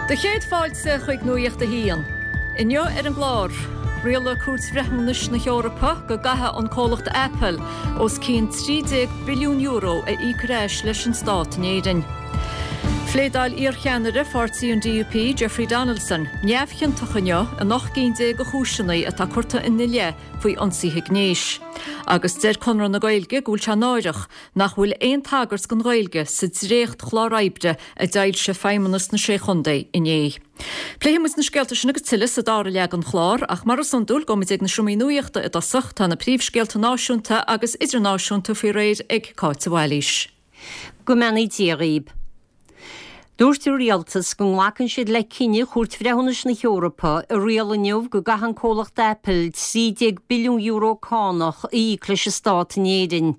Do chéad fáilte chuig Nuacht a hAon. Inniu ar an gclár, rialaigh Cúirt Bhreithiúnais na hEorpa go gcaithfidh an comhlacht Apple os cionn €13 billiún a íoc ar ais leis an stát in Éirinn. Phléadáil iarcheannaire pháirtí an DUP, Jeffrey Donaldson, neamhchiontach inniu in 18 gcinn de chúiseanna atá curtha ina leith faoi ionsaithe gnéis. Agus deir Conradh na Gaeilge go bhfuil sé náireach nach bhfuil aon tagairt don Ghaeilge sa dréacht-chlár oibre a d'fhoilsigh Feidhmeannas na Sé Chontae inné. Pléifidh muid na scéalta sin agus tuilleadh sa dara leath den chlár, ach mar is iondúil, gabhfaidh muid ag na seomraí nuachta i dtosach. Tá na príomhscéalta náisiúnta agus idirnáisiúnta faoi réir ag Cáit de Bhailís. Go mbeannaí Dia dhaoib. Dúirt an Rialtas go nglacann siad le cinneadh Chúirt Bhreithiúnais na hEorpa a rialaigh inniu go gcaithfidh an comhlacht Apple €13 billiún cánach a íoc leis an stát in Éirinn.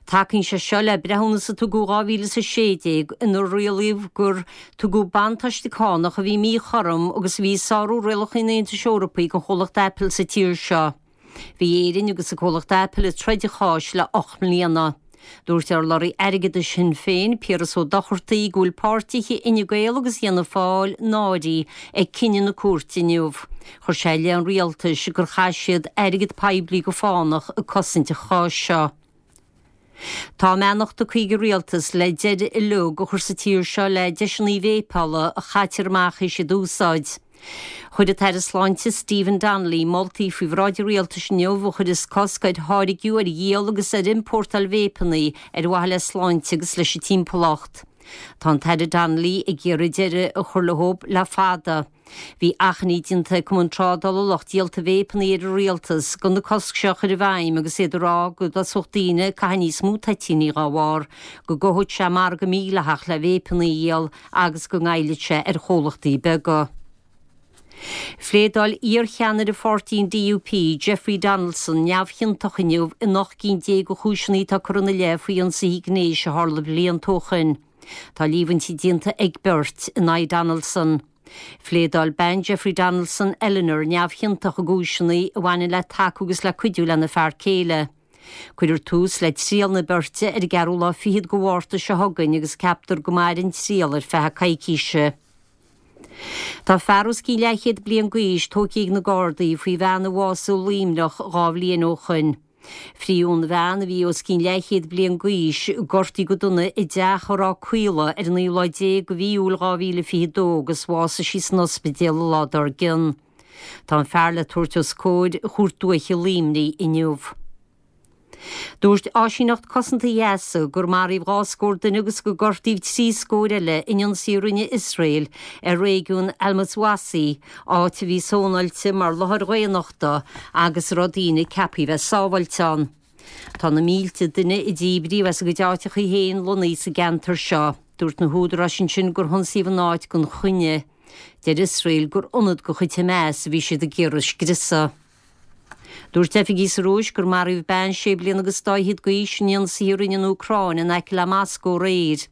Tacaíonn sé seo le breithiúnas a tugadh 2016 inar rialaíodh gur tugadh buntáiste cánach a bhí míchothrom agus a bhí ag sárú rialacha an Aontais Eorpaigh don chomhlacht Apple sa tír seo. Bhí Éirinn agus an comhlacht Apple ag troid an cháis le 8 mbliana. Dúirt urlabhraí airgeadais Shinn Féin, Piaras Ó Dochartaigh, go bhfuil páirtithe Fhine Gael agus Fhianna Fáil náirithe ag cinneadh na cúirte inniu. Chuir sé i leith an rialtais gur chaith siad airgead poiblí go fánach ag cosaint an cháis seo. Tá a mbeannacht tugtha ag an rialtas le deireadh uilig a chur sa tír seo le deiseanna véipeála a chaitear amach théis iad a úsáid. Chuir an tAire Sláinte Stephen Donnelly moltaí faoi bhráid an rialtais inniu a chuirfeas cosc ar tháirgiú, ar dhíol agus ar iompórtáil véipeanna ar mhaithe le sláinte agus leis an timpeallacht. Tá an tAire Donnelly ag iarraidh deireadh a chur leo le fada. Bhí achainí déanta ag Cumann Trádála Lucht Díolta Véipeanna ar an Rialtas gan an cosc seo a chur i bhfeidhm agus iad ag rá go dtosódh daoine ag caitheamh níos mó toitíní dá bharr, go gcothódh sé margadh mídhleathach le véipeanna a dhíol agus go ngoillfeadh sé ar chomhlachtaí beaga. Phléadáil iarcheannaire pháirtí an DUP, Jeffrey Donaldson, neamhchiontach inniu in 18 gcinn de chúiseanna atá curtha ina leith faoi ionsaithe gnéis a tharla blianta ó shin. Tá líomhaintí déanta ag beirt in aghaidh Donaldson. Phléadáil bean Jeffrey Donaldson, Eleanor, neamhchiontach i gcúiseanna a bhaineann le tacú agus le cuidiú lena fear céile. Cuirfear tús le triail na beirte ar an gceathrú lá fichead de Mhárta seo chugainn agus ceaptar go mairfidh an triail ar feadh coicíse. Tá fear os cionn leathchéad bliain d'aois tógtha ag na Gardaí faoi bhean a bhásaigh i Luimneach 2 bhliain ó shoin. Frítheadh an bhean, a bhí os cionn leathchéad bliain d'aois, gortaithe go dona i dteach i Ráth Caola ar an naoú lá déag de mhí Iúil 2022 agus bhásaigh sí san ospidéal an lá dár gcionn. Tá an fear le tabhairt os comhair Chúirt Dúiche Luimnigh inniu. Dúirt Áisíneacht Cosanta Ghaza gur maraíodh 2 scór duine agus gur gortaíodh 3 scór eile in ionsaí a rinne Iosrael ar réigiún Al-Mawasi, áit a bhí sónáilte mar láthair dhaonnachta agus a raibh daoine ceaptha a bheith sábháilte ann. Tá na mílte duine a díbríodh as a gcuid áiteacha féin lonnaithe sa gceantar seo. Dúirt na húdaráis ansin gur hionsaíodh an áit gan choinne. Deir Iosrael gur ionad de chuid Hamas a bhí siad ag iarraidh a scriosadh. Dúirt oifigigh sa Rúis gur maraíodh bean sé bliana agus dá fhichead d'aois in ionsaithe a rinne an Úcráin in aice le Moscó aréir.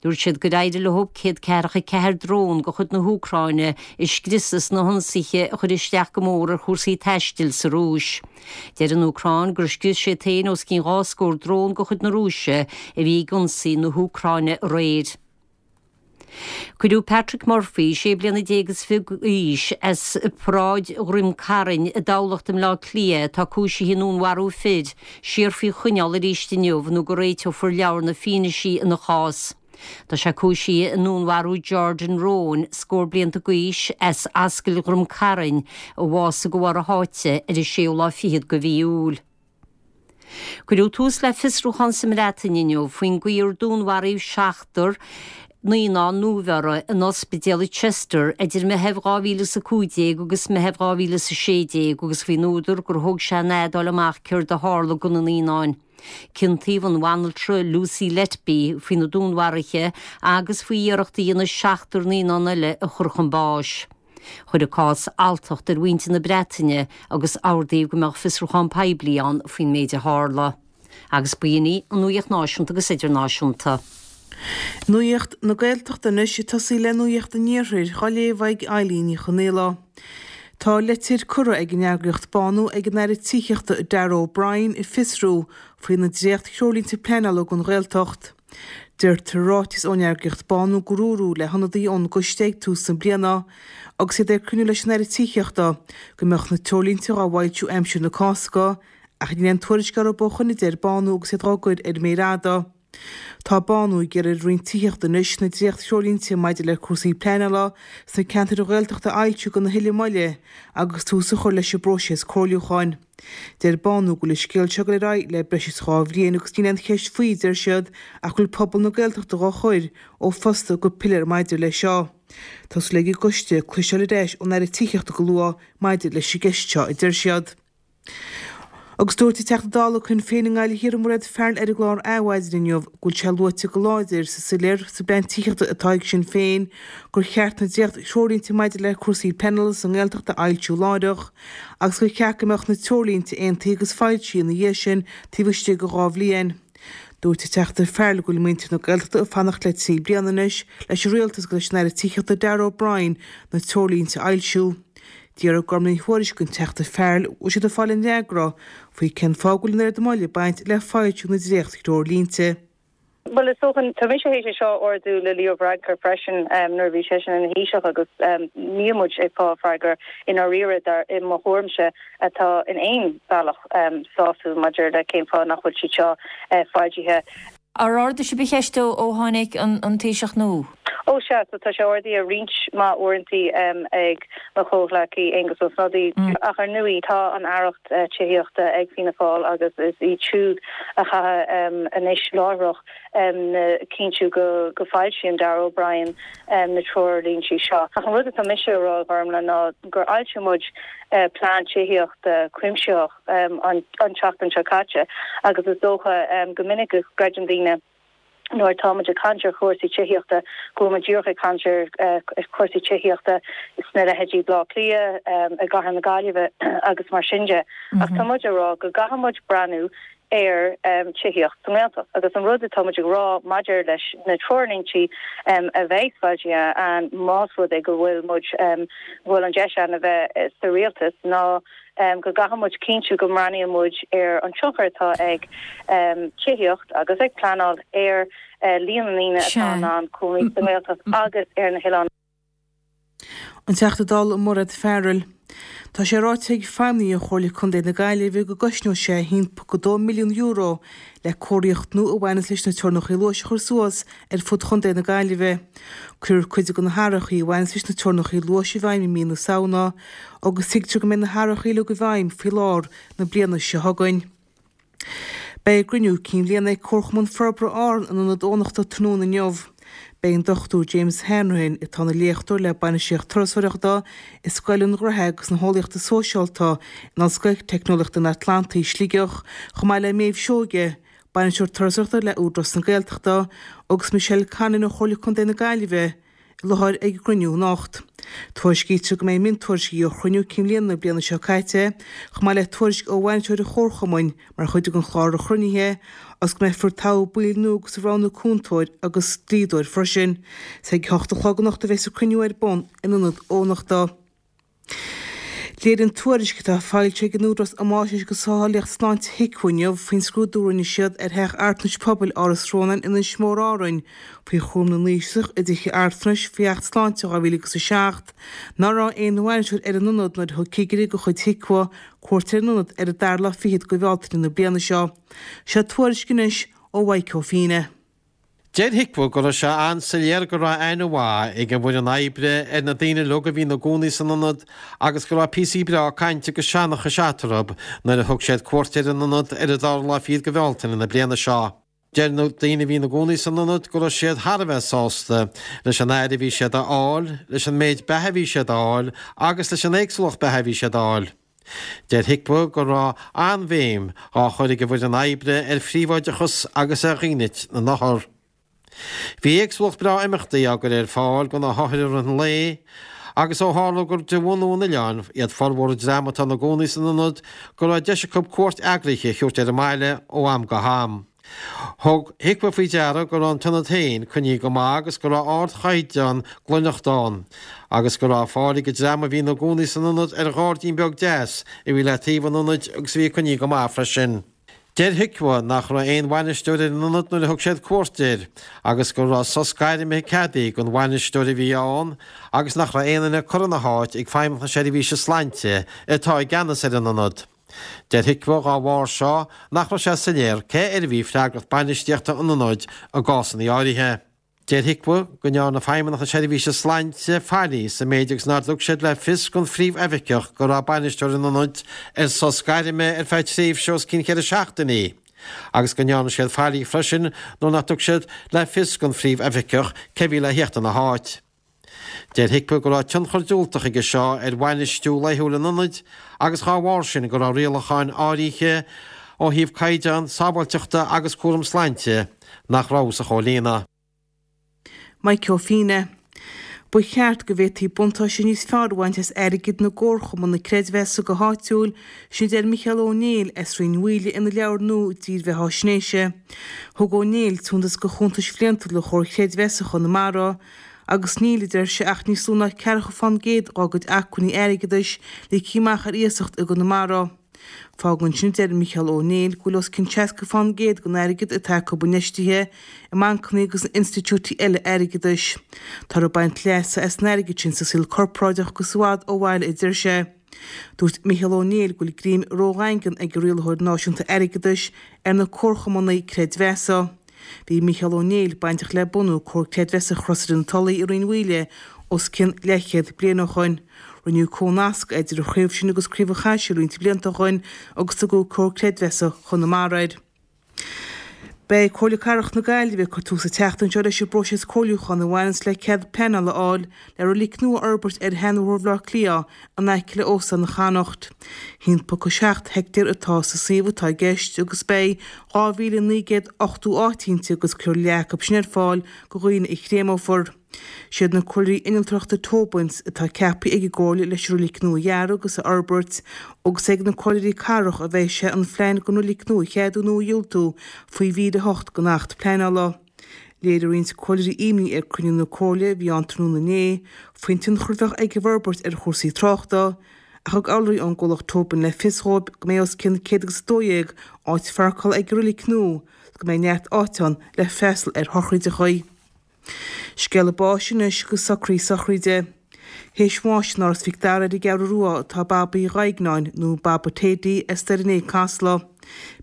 Dúirt siad gur éirigh leo 144 drón de chuid na hÚcráine a scriosadh sna hionsaithe a chuir isteach go mór ar chúrsaí taistil sa Rúis. Deir an Úcráin gur scrios siad féin os cionn 2 scór drón de chuid na Rúise a bhí ag ionsaí na hÚcráine aréir. Cuireadh Patrick Murphy, 16 bliana is fiche d'aois, as Paráid Dhroim Cairn i dTamhlacht i mBleá Cliath, atá cúisithe i ndúnmharú fir, siar faoi choinneáil arís inniu nó go réiteofar leabhar na fianaise ina chás. Tá sé cúisithe i ndúnmharú Jordan Rowan, scór blianta d'aois, as Ascaill Dhroim Cairn, a bhásaigh de bharr a sháite ar an séú lá fichead de mhí Iúil. Cuireadh tús le fiosrúchán sa mBreatain inniu faoin gcaoi ar dúnmharaíodh seachtar naíonán nuabheirthe in ospidéal i Chester idir Meitheamh 2015 agus Meitheamh 2016 agus faoin údar gur thóg sé an fhad fháil amach céard a tharla do na naíonáin. Ciontaíodh an bhanaltra Lucy Letby faoi na dúnmharuithe agus faoi iarracht a dhéanamh seachtar naíonán eile a chur chun báis. Chuir an cás alltacht ar mhuintir na Breataine agus ordaíodh go mbeadh fiosrúchán poiblí ann faoin méid a tharla. Agus b'in í an nuaíocht náisiúnta agus idirnáisiúnta. Nuacht na Gaeltachta anois, ag tosaí le Nuacht an Iarthair, á léamh ag Eilín Ní Chonaola. Tá litir curtha ag an eagraíocht Bánú ag an Aire Tithíochta Darragh O'Brien ag fiosrú faoi na dréacht-threoirlínte pleanála don Ghaeltacht. Deirtear i ráiteas ón eagraíocht Bánú gur dúradh le hionadaithe ón gcoiste ag tús na bliana, agus iad ag cruinniú leis an Aire Tithíochta, go mbeadh na treoirlínte dhá bhfoilsiú aimsir na Cásca, ach níl aon tuairisc orthu ó shoin a deir Bánú agus iad dhá gcur ar an méar fhada. Tá Bánú ag iarraidh ar an Roinn Tithíochta anois na dréacht-threoirlínte maidir le cúrsaí pleanála sna ceantair Ghaeltachta a fhoilsiú gan a thuilleadh moille agus tús a chur leis an bpróiseas comhairliúcháin. Deir Bánú go bhfuil an scéal seo ag dul ar aghaidh le breis is 2 bhliain agus níl aon cheist faoi, deir siad, ach go bhfuil pobal na Gaeltachta dhá chur ó phosta go piléar maidir leis seo. Tá súil ag an gcoiste cloisteáil ar ais ón Aire Tithíochta go luath maidir leis an gceist seo, a deir siad. Agus dúirt an Teachta Dála Shinn Féin i nGaillimh Thiar Mairéad Farrell ar an gclár Adhmhaidin inniu go bhfuil sé luaite go láidir sa soiléir sa bplean tithíochta atá ag Sinn Féin gur cheart na dréacht-threoirlínte maidir le cúrsaí pleanála sa nGaeltacht a fhoilsiú láithreach agus gur cheart go mbeadh na treoirlínte aontaithe agus foilsithe ina dhiaidh sin taobh istigh de 2 bhliain. Dúirt an Teachta Farrell go bhfuil muintir na Gaeltachta ag fanacht le 3 bliana anois leis an Rialtas agus leis an Aire Tithíochta Darragh O'Brien na treoirlínte a fhoilsiú. D'iarr Gormfhlaith Ní Thuairisg den Teachta Farrell an bhfuil siad ag fáil aon fhreagra faoi cén fáth go bhfuil an oiread moille ag baint le foilsiú na dréacht-threoirlínte. Bhuel, is dócha, tá mise théis é seo a ardú le Leo Varadkar freisin nuair a bhí seisean ina Thaoiseach agus níl muid ag fáil freagra i ndáiríre, dar, i mo thuairimse, atá in aon bhealach sásúil maidir le cén fáth nach bhfuil siad seo foilsithe. Ar ardaigh sibh an cheist ó tháinig an Taoiseach nua? Ó sea, so tá sé ardaithe roinnt mhaith uaireantaí ag mo chomhghleacaí Aengus Ó Snodaigh, ach ar ndóigh tá an aireacht tithíochta ag Fianna Fáil agus is iad siúd a chaithfidh anois láithreach cinntiú go bhfoilsíonn Darragh O'Brien na treoirlíntí seo. Ach an rud atá mise a rá, a Ghormfhlaith, ná gur fhoilsigh muid plean tithíochta cuimsitheach an tseachtain seo caite agus is dócha go minic go gcreideann daoine nuair atá muid ag caint ar chúrsaí tithíochta go bhfuil muid díreach ag caint ar chúrsaí tithíochta sna leithéidí Baile Átha Cliath, i gcathair na Gaillimhe agus mar sin de. Ach tá muid ag rá go gcaithfidh muid breathnú ar tithíocht sa nGaeltacht agus an rud atá muid ag rá maidir leis na treoirlíntí a bheidh foilsithe ann más rud é go bhfuil muid, go bhfuil an deis ann a bheith sa rialtas ná go gcaithfidh muid cinntiú go mbreathnaíonn muid ar an tionchar atá ag tithíocht agus ag pleanáil ar líon na ndaoine atá in ann cónaí sa nGaeltacht agus ar na hoileáin. An Teachta Dála Mairéad Farrell. Tá sé ráite ag feidhmeannaigh ó Chomhairle Contae na Gaillimhe go gcosnóidh sé €1.2 milliún le cóiríocht nua a bhaineas leis na teorainneacha luais a chur suas ar fud chontae na Gaillimhe. Cuirfear cuid de na hathrachaí a bhaineas leis na teorainneacha luais i bhfeidhm i mí na Samhna agus tuigtear go mbeidh na hathrachaí uilig i bhfeidhm faoi lár na bliana seo chugainn. Beidh a gcruinniú cinn bhliana ag Comharchumann Forbartha Árann in Ionad Eoghanachta tráthnóna inniu. Beidh an Dr James Hanrahan, atá ina léachtóir le Bainistíocht Turasóireachta i Scoil an Ghnó agus na hEolaíochta Sóisialta in Ollscoil Teicneolaíochta an Atlantaigh, Sligeach, chomh maith le Méabh Seoige, Bainisteoir Turasóireachta le Údarás na Gaeltachta, agus Michelle Conlon ó Chomhairle Contae na Gaillimhe, i láthair ag an gcruinniú anocht. Tuairiscítear go mbeidh miontuairiscí ó chruinniú cinn bhliana na bliana seo caite, chomh maith le tuairisc ó bhainisteoir an chomharchumainn mar chuid den chlár chruinnithe, agus go mbeifear ag toghadh baill nua agus ag roghnú cúntóir agus dlíodóir freisin. Is ag a hocht a chlog anocht a bheas an cruinniú ar bun in Ionad Eoghanachta. Léiríonn tuairisc atá foilsithe ag an Údarás um Fháisnéis agus Sábháilteacht Sláinte HIQA inniu faoin scrúdú a rinne siad ar theach altranais pobail Áras Rónáin in Inis Mór Árainn faoi chúram na n-aoisach i dtithe altranais faoi Acht Sláinte 2007 nach raibh aon bhainisteoir ar an ionad nuair a thug cigire de chuid HIQA cuairt ar an ionad ar an dara lá fichead de Bhealtaine na bliana seo. Seo tuairisc anois ó Mhaidhc Ó Fianna. Deir HIQA go raibh sé an-soiléir go raibh aithne mhaith ag an bhfoireann oibre ar na daoine uilig a bhí ina gcónaí san ionad agus go raibh píosaí breá cainte agus seanchais eatarthu nuair a thug siad cuairt ar an ionad ar an dara lá fichead de Bhealtaine na bliana seo. Deir na daoine a bhí ina gcónaí san ionad go raibh siad thar a bheith sásta leis an aire a bhí siad a fháil, leis an méid beatha a bhí siad a fháil agus leis an éagsúlacht beatha a bhí siad a fháil. Deir HIQA go raibh an-bhéim á chur ag an bhfoireann oibre ar phríobháideachas agus ar dhínit na n-othar. Bhí éagsúlacht breá imeachtaí á gcur ar fáil do na hothair i rith an lae agus ó tharla gur de bhunú an oileáin iad formhór an dream atá ina gcónaí san ionad go raibh deis acu cuairt eagraithe a thabhairt ar an mbaile ó am go ham. Thug HIQA faoi deara go raibh an t-ionad féin coinnithe go maith agus go raibh ardchaighdeán glaineachta ann, agus go raibh fáil ag an dream a bhí ina gcónaí san ionad ar ghairdín beag deas a bhí le taobh an ionaid agus a bhí coinnithe go maith freisin. Deir HIQA nach raibh aon bhainisteoir ar an ionad nuair a thug siad cuairt air agus go raibh sos gairme ceadaithe don bhainisteoir a bhí ann agus nach raibh aon duine curtha ina háit ag Feidhmeannacht na Seirbhíse Sláinte atá i gceannas ar an ionad. Deir HIQA dhá bharr seo nach raibh sé soiléir cé air a bhí freagracht bainistíochta an ionaid i gcásanna áirithe. Deir HIQA go ndearna Feidhmeannacht na Seirbhíse Sláinte faillí sa méid agus nár thug siad le fios don Phríomhoifigeach go raibh bainisteoir an ionaid ar sos gairme ar feadh tréimhse os cionn cheithre seachtainí agus go ndearna siad faillí freisin nuair nach dtug siad le fios don Phríomhoifigeach cé bhí le theacht ina háit. Deir HIQA go raibh tionchar diúltach aige seo ar bhainistiú laethúil an ionaid agus dhá bharr sin go raibh rialacháin áirithe ó thaobh caighdeán sábháilteachta agus cúram sláinte nach rabhthas a chomhlíonadh. Maidhc Ó Fianna. Ba cheart go bhféadfaí buntáiste níos fearr a bhaint as airgead na gcomharchumann creidmheasa go háitiúil, sin a deir Micheál Ó Néill as Rinn Mhaoile ina leabhar nua dírbheatháisnéise. Thug Ó Néill suntas do chuntais bhliantúla Chomhar Creidmheasa Chonamara agus níl, a deir sé, ach níos lú ná ceathracha fán gcéad dá gcuid acmhainní airgeadais ligthe amach ar iasacht i gConamara. Fágann sin, a deir Micheál Ó Néill, go bhfuil os cionn 60 fán gcéad den airgead atá acu infheistithe i mbancanna agus in institiúidí eile airgeadais. Táthar ag baint leasa as an airgead sin sa saol corparáideach agus i bhfad ó bhaile, a deir sé. Dúirt Micheál Ó Néill go bhfuil greim ródhaingean ag an Rialaitheoir Náisiúnta Airgeadais ar na comharchumanna creidmheasa. Bhí Micheál Ó Néill bainteach le bunú Comhar Creidmheasa Chrosaire na Tulaí i Rinn Mhaoile os cionn leathchéad bliain ó shoin. Rinneadh comhnasc idir an chraobh sin agus Craobh an Chaisil roinnt blianta ó shoin agus tugadh Comhar Creidmheasa Chonamara air. Beidh Comhairle Cathrach na Gaillimhe ag cur tús an tseachtain seo leis an bpróiseas comhairliúcháin a bhaineanns le cead pleanála a fháil le roilic nua a fhorbairt ar Sheanbhóthar Bhaile Átha Cliath in aice le Óstán an Chonnacht. 1.7 heicteár atá sa suíomh atá i gceist agus beidh 2,980 áit inti agus cuirfear leath acu sin ar fáil do dhaoine a chréamófar. Siad na comhairleoirí innealtóireachta Tobins atá ceaptha ag an gComhairle leis an roilic nua a dhearadh agus a fhorbairt agus ag na comhairleoirí cathrach a bheidh sé an phlean don roilic nua a cheadú nó a dhiúltú faoi mhír 8 den Acht Pleanála. Léirigh roinnt comhairleoirí imní ag cruinniú na Comhairle a bhí ann tráthnóna inné faoin tionchar a bheadh ag an bhforbairt ar chúrsaí tráchta, ach thug urlabhraí ón gcomhlacht Tobin le fios dhóibh go mbeidh os cionn 112 áit pháirceála ag an roilic nua agus go mbeidh neart áite ann le freastal ar shochraídeachaí. Scéala báis anois agus socruithe sochraide. Théis bháis in Áras Mhic Dara ar an gCeathrú Rua atá Babaí Dhuibhneáin, nó Baba Teddy, as Doire an Fhéich, Casla.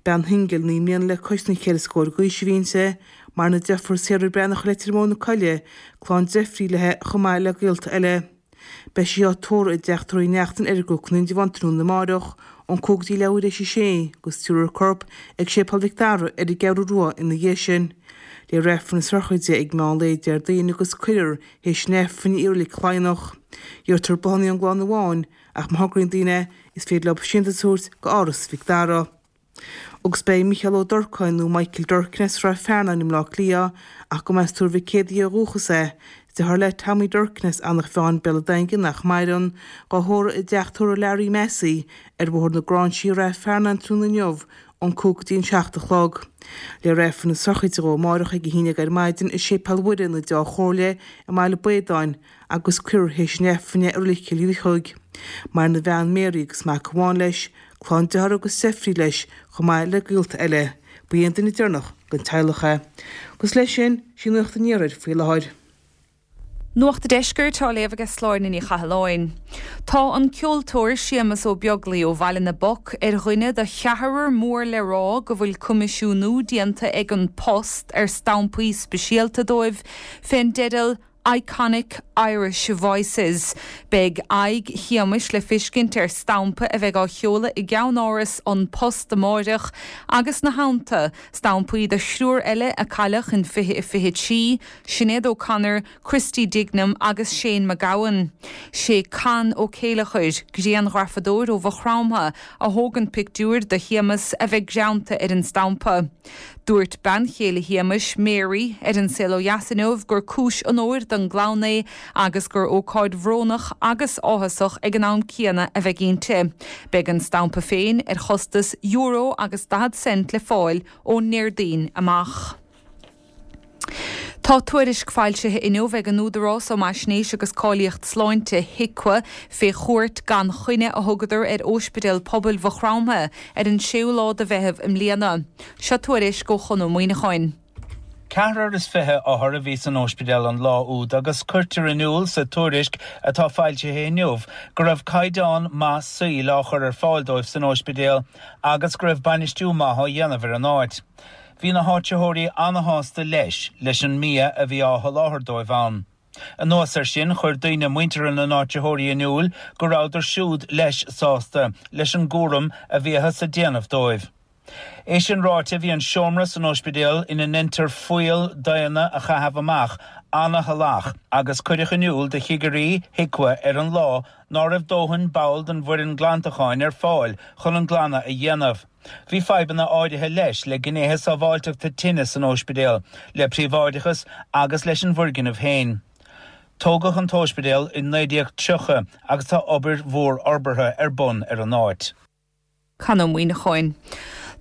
Bean shingil 9 mbliana le cois na cheithre scór d'aois a bhí inti. Maireann a deirfiúr Sarah Breathnach i Leitir Móir na Coille, clann deirfiúraí léi chomh maith le gaolta eile. Beidh sí á tórramh i dTeach Tórraimh Uí Neachtain ar an gCnoc in Indreabhán tráthnóna amáireach ón 5 go dtí leathuair théis a sé agus tabharfar a corp ag Séipéal Mhic Dara ar an gCeathrú Rua ina dhiaidh sin. Léifear Aifreann na sochraide ag meán lae Déardaoin agus cuirfear théis an Aifrinn í i Reilig Chladhnach. Iarrtar bláthanna ón gclann amháin ach má thograíonn daoine is féidir leo síntiús a thabhairt go Áras Mhic Dara. Agus beidh Mícheál Ó Durcáin, nó Michael Durkin as Srath Fearnáin i mBleá Cliath, ach go mba as Tuar Mhic Éadaigh ó dhúchas é, deartháir le Tommy Durkin as Eanach Mheáin, Béal an Daingin, nach maireann, dhá thórramh i dteach tórraimh Larry Massey ar Bhóthar na Gráinsí i Rath Fearnáin tráthnóna inniu ón 5 go dtí an 7 a chlog. Léifear Aifreann na sochraide dhó amáireach ag 11 ar maidin i Séipéal Mhuire na Deá Chomhairle i mBaile Baodáin agus cuirfear théis an Aifrinn é i Reilig Chill Mhichíl. Maireann a bhean Mary agus mac amháin leis, Clann dearthár agus deirfiúraí leis, chomh maith le gaolta eile. Ba é an duine deireanach den teaghlach é. Agus leis sin, sí Nuacht an Iarthair faoi láthair. Nuacht an Deiscirt á léamh aige Sláine Ní Chathalláin. Tá an ceoltóir Séamus Ó Beaglaoi ó Bhaile na bPoc ar dhuine de cheathrar mór le rá go bhfuil coimisiúnú déanta ag An Post ar stampaí speisialta dóibh fén dteideal Iconic Irish Voices. Beidh aghaidh Shéamais le feiscint ar stampa a bheidh á sheoladh i gceann-áras An Post amáireach agus ina theannta, stampaí do thriúr eile a cailleadh in 2023, Sinéad O'Connor, Christy Dignam agus Shane MacGowan. Sé Con Ó Céileachair, grianghrafadóir ó Mhaigh Chromtha, a thóg an pictiúr de Shéamas a bheidh greanta ar an stampa. Dúirt bean chéile Shéamais, Mary, ar An Saol Ó Dheas inniu gur cúis onóir don gclann é agus gur ócáid bhrónach agus áthasach ag an am céanna a bheidh inti. Beidh an stampa féin ar chostas euro agus 40 cent le fáil ón nDéardaoin amach. Tá tuairisc foilsithe inniu ag an Údarás um Fhaisnéis agus Cáilíocht Sláinte, HIQA, fé chuairt gan choinne a thugadar ar Óispidéal Pobail Mhaigh Chromtha ar an séú lá de Mheitheamh i mbliana. Seo tuairisc ó Chon Ó Muíneacháin. 24 othar a bhí san óispidéal an lá úd agus cuirtear in iúl sa tuairisc atá foilsithe inniu go raibh caighdeán maith saoil á chur ar fáil dóibh san óispidéal agus go raibh bainistiú maith á dhéanamh ar an áit. Bhí na háitritheoirí an-shásta leis leis an mbia a bhí á sholáthar dóibh ann. Anuas air sin, chuir daoine muinteartha na n-áitritheoirí in iúl go rabhadar siúd leis sásta leis an gcúram a bhíothas a déanamh dóibh. É sin ráite, bhí an seomra san óispidéal ina ndeintear fuíoll daonna a chaitheamh amach ana-shalach agus cuireadh in iúl do chigirí HIQA ar an lá ná raibh dóthain ball den bhfoireann glantacháin ar fáil chun an glanadh a dhéanamh. Bhí fadhbanna áirithe leis le gnéithe sábháilteachta tine san óispidéal, le príobháideachas agus leis an bhfoirgneamh féin. Tógadh an t-óispidéal i 1930 agus tá obair mhór fhorbartha ar bun ar an áit. Con Ó Muíneacháin.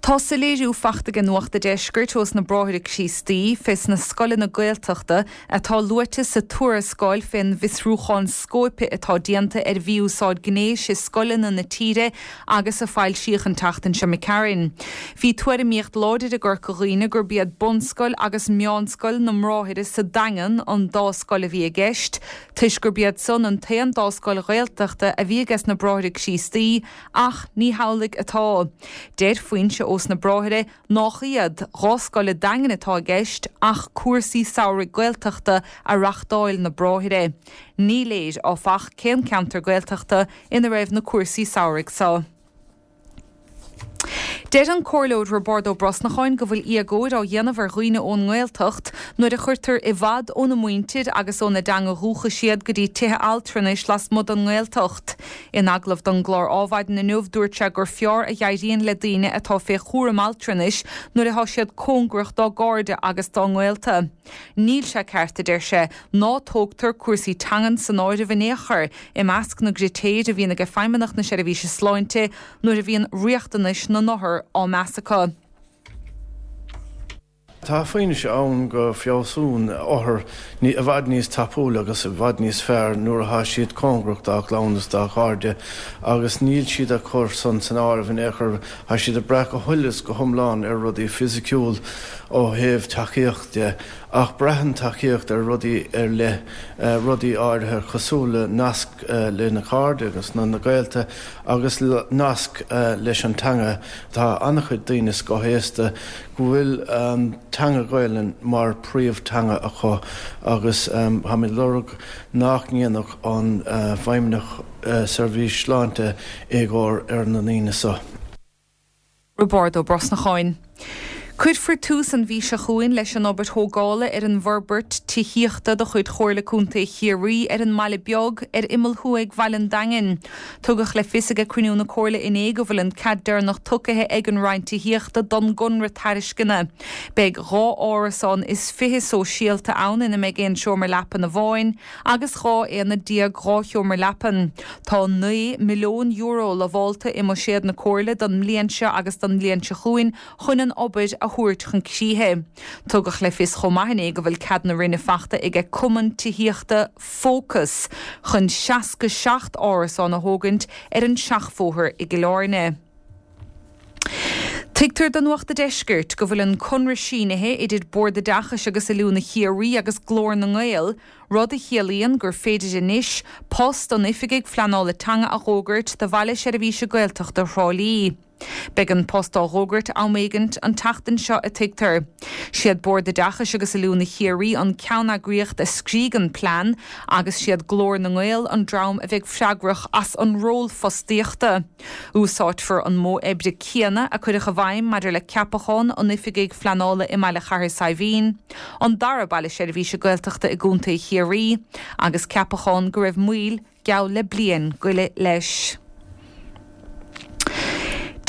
Tá soiléiriú fachta aige Nuacht a' Deiscirt ós na Bráithre Críostaí fés na scoileanna Gaeltachta atá luaite sa tuarascáil fén bhfiosrúchán scóipe atá déanta ar mhí-úsáid gnéis i scoileanna na tíre agus a foilsíodh an tseachtain seo imigh tharainn. Bhí tuairimíocht láidir i gCorca Dhuibhne gurb iad bunscoil agus meánscoil na mBráithre sa Daingean an dá scoil a bhí i gceist, toisc gurb iad san an t-aon dá scoil Ghaeltachta a bhí ages na Bráithre Críostaí Ach ní hamhlaidh atá. Deir foinse ós na Bráithre nách iad dhá scoil a' Daingin atá i gceist ach cúrsaí samhraidh Gaeltachta a reachtáil na Bráithre. Ní léir, áfach, cén ceantar Gaeltachta ina raibh na cúrsaí samhraidh so. Deir an Comhairleoir Roibeárd Ó Brosnacháin go bhfuil éagóir á dhéanamh ar dhaoine ón nGaeltacht nuair a chuirtear i bhfad óna muintir agus óna dteanga dhúchais iad go dtí tithe altranais lasmuigh den nGaeltacht. In agallamh don gclár Ádhmhaidin inniu dúirt sé gur fearr a dh'éiríonn le daoine atá fé chúram altranais nuair atá siad cóngarach dá gcairde agus dá ngaolta. Níl sé ceart, a deir sé, ná tógtar cúrsaí teangan san áireamh in aon chor i measc na gcritéir a bhíonn aige Feidhmeannacht na Seirbhíse Sláinte nuair a bhíonn riachtanais na n-othar á meas acu. Tá fianaise ann go feabhsaíonn othair i bhfad níos tapúla agus i bhfad níos fearr nuair atá siad cóngarach dá gclann is dá gcairde agus níl siad ag cur san san áireamh in aon chor. Tá siad ag brath go huile is go hiomlán ar rudaí fisiciúil ó thaobh tacaíocht de ach braitheann tacaíocht ar rudaí ar leith, rudaí áirithe cosúil le nasc lena cairde agus na gaolta agus nasc leis an teanga. Tá an-chuid daoine scothaosta go bhfuil an teanga Ghaelainn mar príomh-teanga acu agus táimid ag lorg nach ndéanfadh an Feidhmeannach Seirbhís Sláinte éagóir ar na ndaoine so. Roibeárd Ó Brosnacháin. Cuirfear tús an mhí seo chugainn leis an obair thógála ar an bhforbairt tithíochta de chuid Chomhairle Contae Chiarraí ar an mBaile Beag ar imeall thuaidh Bhaile an Daingin. Tugadh le fios age cruinniú na Comhairle inné go bhfuil an cead deireanach tugtha ag an Roinn Tithíochta don gconradh tairisceana. Beidh 22 árasán sóisialta ann ina mbeidh aon seomra leapan amháin agus 12 aonad dhá sheomra leapan. Tá €9 milliún lamhálta i mbuiséad na Comhairle don mbliain seo agus don mbliain seo chugainn chun an obair a thabhairt chun críche. Tugadh le fios chomh maith inné go bhfuil cead na Roinne fachta aige Cumann Tithíochta Focus chun 67 árasán a thógaint ar an Seachbhóthar i gCill Airne. Tuigtear do Nuacht a' Deiscirt go bhfuil an conradh sínithe idir Bord Oideachais agus Oiliúna Chiarraí agus Glór na nGael, rud a chiallaíonn gur féidir anois post an Oifigigh Phleanála Teanga a dh'fhógairt do Bhaile Seirbhíse Gaeltachta Thrá Lí. Beidh an post á dh'fhógairt am éigint an tseachtain seo a tuigtear. Siad Bord Oideachais agus Oiliúna Chiarraí an ceanneagraíocht a scrígh an plean agus siad Glór na nGael an dream a bheidh freagrach as an ról fostaíochta. Úsáidfear an modh oibre céanna a cuireadh i bhfeidhm maidir le ceapachán an Oifigigh Phleanála i mBaile Chathair Saidhbhín, an dara Baile Seirbhíse Gaeltachta i gContae Chiarraí, agus ceapachán go raibh moill geall le bliain go leith leis.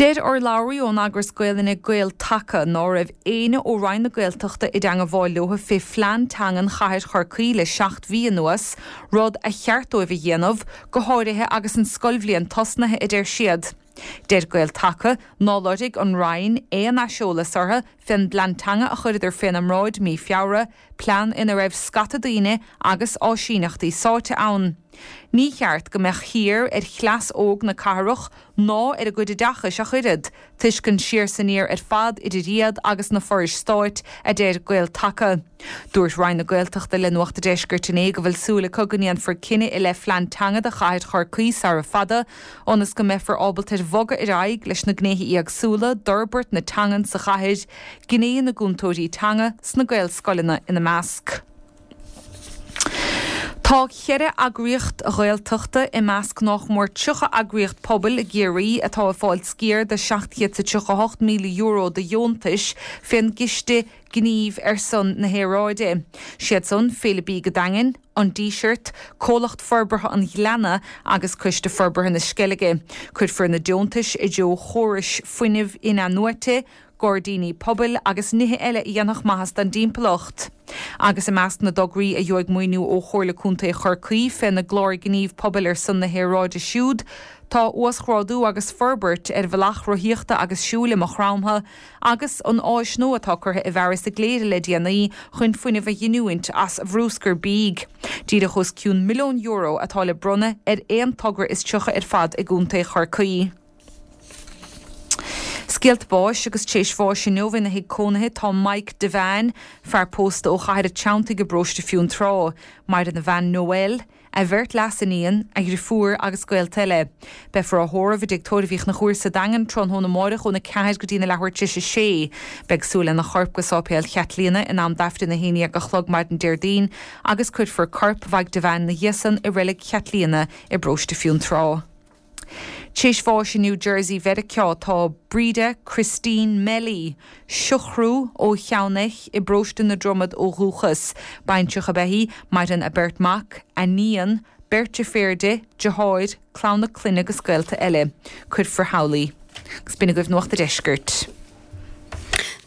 Deir urlabhraí ón eagras Gaelainne Gael Taca ná raibh éinne ó Roinn na Gaeltachta i dteangabháil leo fé phlean teangan chathair Chorcaí le 7 mhí anuas, rud a cheart dóibh a dhéanamh, go háirithe agus an scoilbhliain tosnaithe, a deir siad. Deir Gael Taca nár loirg an Roinn aon aiseolas orthu fén bplean teanga a chuireadar féna mbráid mí Feabhra, plean ina raibh scata daoine agus áisíneachtaí sáite ann. Ní cheart go mbeadh thiar ar chleas óg na cathrach ná ar a gcuid oideachais ach oiread, toisc an siar 's aniar ar fad idir iad agus na forais stáit, a deir Gael Taca. Dúirt Roinn na Gaeltachta le Nuacht a' Deiscirt inné go bhfuil súil acu go ndéanfar cinneadh i leith phlean teanga do chathair Chorcaí sara fada, ionas go mbeifear ábalta ar bhogadh ar aghaidh leis na gnéithe éagsúla d'fhorbairt na teangan sa chathair, gné na gcúntóirí teanga sna Gaelscoileanna ina measc. Tá cheithre eagraíocht Ghaeltachta i measc nách mór 30 eagraíocht pobail i gCiarraí atá ag fáil sciar de €738,000 de dheontais fén gCiste Gnímh ar son na hAeráide. Siad san, Féile Bídh an Daingin, An Díseart, Comhlacht Forbartha an Ghleanna agus Coiste Forbartha na Sceilge. Cuirfear na deontais i dtreo chórais fuinnimh in-athnuaite, gairdíní pobail agus nithe eile a dhéanfadh maitheas don dtimpeallacht. Agus i measc na dtograí a gheobhaidh maoiniú ó Chomhairle Contae Chorcaí féna gclár Gníomh Pobail ar son na hAeráide siúd, tá uasghrádú agus forbairt ar bhealach rothaíochta agus siúil i Maigh Chromtha agus an áis nua atá curtha i bhfearas i gCléire le déanaí chun fuinneamh a ghiniúint as bhrúscar bídh. Díreach os cionn €1 milliún atá le bronnadh ar aon togra is 30 ar fad i gContae Chorcaí. Scéalta báis agus tar éis bháis inniu ina thigh cónaithe tá Mike Devane, fear pósta ó Chathair an Treanntaigh i bparóiste Fionntrá. Maireann a bhean Noelle, a bheirt leas-iníon, a dhriofúr agus gaolta eile. Beifear á thórramh i dTigh Tórraimh Uí Chonchúir sa Daingean tráthnóna amáireach óna 4 go dtína leathuair tar éis a sé. Beidh súil lena chorp go Sáipéal Chaitlíona in am d'Aifreann 11 a chlog maidin Déardaoin agus cuirfear corp Mhaidhc Devane 'na dhiaidh san i Reilig Chaitlíona i bparóiste Fionntrá. Tar éis bháis i New Jersey Mheiriceá tá Breda Christine Melly, Siochrú, ó Cheann Eich i bparóiste na Dromad ó dhúchas. Baintreach ab ea í, maireann a beirt mac, a níon, beirt deirféar di, deartháir, clann a clainne agus gaolta eile. Cuirfear thall í. Agus b'in agaibh Nuacht a' Deiscirt.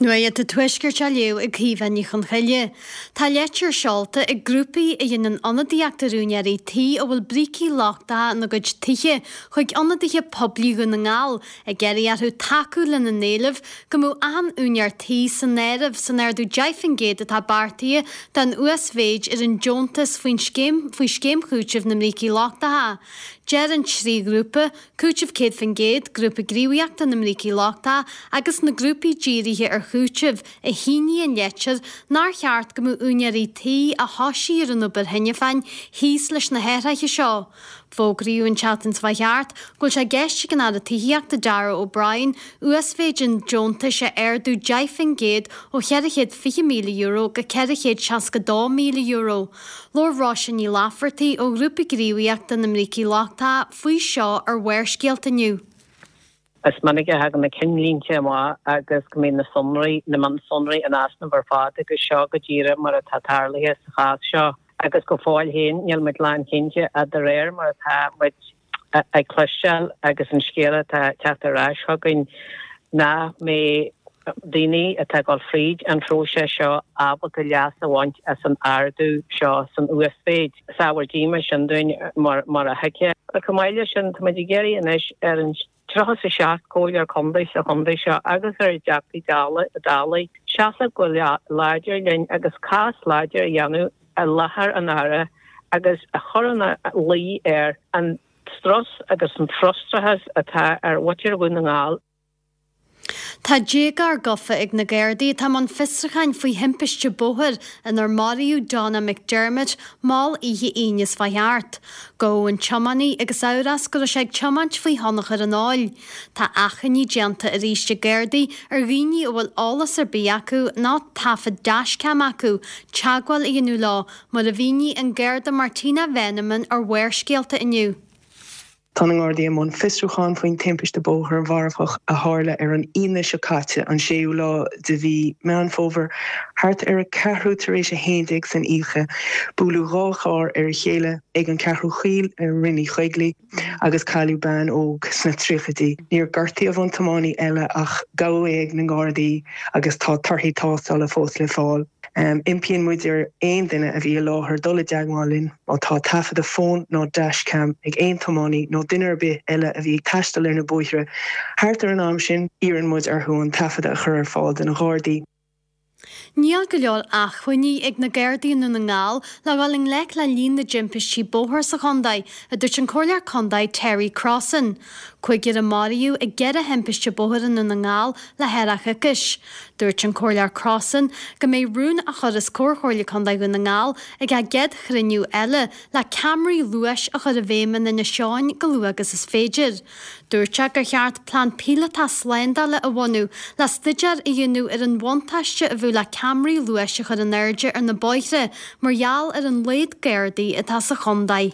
Nuacht an Tuaiscirt á léamh ag Caoimhe Ní Chonchoille. Tá leitir seolta ag grúpaí a dhéanann ionadaíocht ar úinéirí tí a bhfuil brící lochtacha ina gcuid tithe chuig ionadaithe poiblí Dhún na nGall ag iarraidh orthu tacú lena n-éileamh go mbeadh achan úinéir tí san áireamh san ardú 10% atá beartaithe don uasmhéid ar an deontas faoin scéim faoi Scéim Chúitimh na mBrící Lochtacha. Deir an trí ghrúpa Cúiteamh 100%, Grúpa Gníomhaíochta na mBrící Lochtacha agus na grúpaí dírithe ar chúiteamh a shínigh an leitir nár cheart go mbeadh úinéirí tí a thoisigh ar an obair cheana féin thíos leis na hathruithe seo. Fógraíodh an tseachtain seo thart go bhfuil sé i gceist ag an Aire Tithíochta Darragh O'Brien uasmhéid an deontais a ardú 10% ó €420,000 go €462,000. Labhair Róise Ní Laifeartaigh ó Ghrúpa Gníomhaíochta na mBrící Lochtacha faoi seo ar Bharrscéalta inniu. Is minic a thagann na cinnlínte amach agus go mbíonn na sonraí, na mionsonraí in easnamh ar fad agus seo go díreach mar atá tarlaithe sa chás seo. Agus go fóill féin níl muid lánchinnte ach de réir mar atá muid ag cloisteáil agus an scéal atá ag teacht ar ais chugainn nach mbeidh daoine atá ag dul fríd an phróiseas seo ábalta leas a bhaint as an ardú seo san uasmhéid. Is ábhar díomá sin dúinn mar a thuigfeá. Chomh maith leis sin, tá muid ag iarraidh anois ar an 37 Comhairleoir Contae sa chontae seo agus ar a dTeachtaí Dála seasamh go láidir linn agus cás láidir a dhéanamh i láthair an Aire agus a chur ina luí air an strus agus an frustrachas atá ar mhuintir Dhún na nGall. Tá déagóir gafa ag na Gardaí atá i mbun fiosrúcháin faoi thimpiste bóthair inar maraíodh Donna McDermott mall oíche Aoine seo chuaigh thart. Gabhadh an tiománaí agus amhras go raibh sé ag tiomáint faoi thionchar an óil. Tá achainí déanta arís ag Gardaí ar dhaoine a bhfuil eolas ar bith acu nó taifead dashcam acu teagmháil a dhéanamh leo, mar a mhínigh an Garda Martina Veneman ar Bharrscéalta inniu. Tá na Gardaí i mbun fiosrúcháin faoin timpiste bóthair mharfach a tharla ar an Aoine seo caite, an séú lá de mhí Meán Fómhair, thart ar a ceathrú tar éis a haon déag san oíche. Buaileadh 2 charr ar a chéile ag an Cheathrú Chaoil i Rinn Uí Choigligh agus cailleadh bean óg sna tríochaidí. Níor gortaíodh an tiománaí eile ach gabhadh é ag na Gardaí agus tá torthaí tástála fós le fáil. Impíonn muid ar aon duine a bhí i láthair dul i dteagmháil linn má tá taifeadadh fóin nó dashcam ag aon tiománaí nó duine ar bith eile a bhí ag taisteal ar na bóithre thart ar an am sin. Iarrann muid orthu an taifeadadh a chur ar fáil do na Gardaí. Níl go leor acmhainní ag na Gardaí i nDún na nGall le dhul i ngleic le líon na dtimpistí bóthair sa chontae, a dúirt an Comhairleoir Contae Terry Crossan. Cúigear a maraíodh i gceithre thimpiste bóthair i nDún na nGall le thar choicís. Dúirt an Comhairleoir Crossan go mbeidh rún á chur os comhair Chomhairle Contae Dhún na nGall ag a gcéad chruinniú eile le ceamaraí luais a chur i bhfeidhm in Inis Eoghain chomh luath agus is féidir. Dúirt sé gur cheart plean píolótach slándála a bhunú le staidéar a dhéanamh ar an bhuntáiste a bheadh le ceamaraí luais a chur in airde ar na bóithre mar gheall ar an laghad Gardaí atá sa chontae.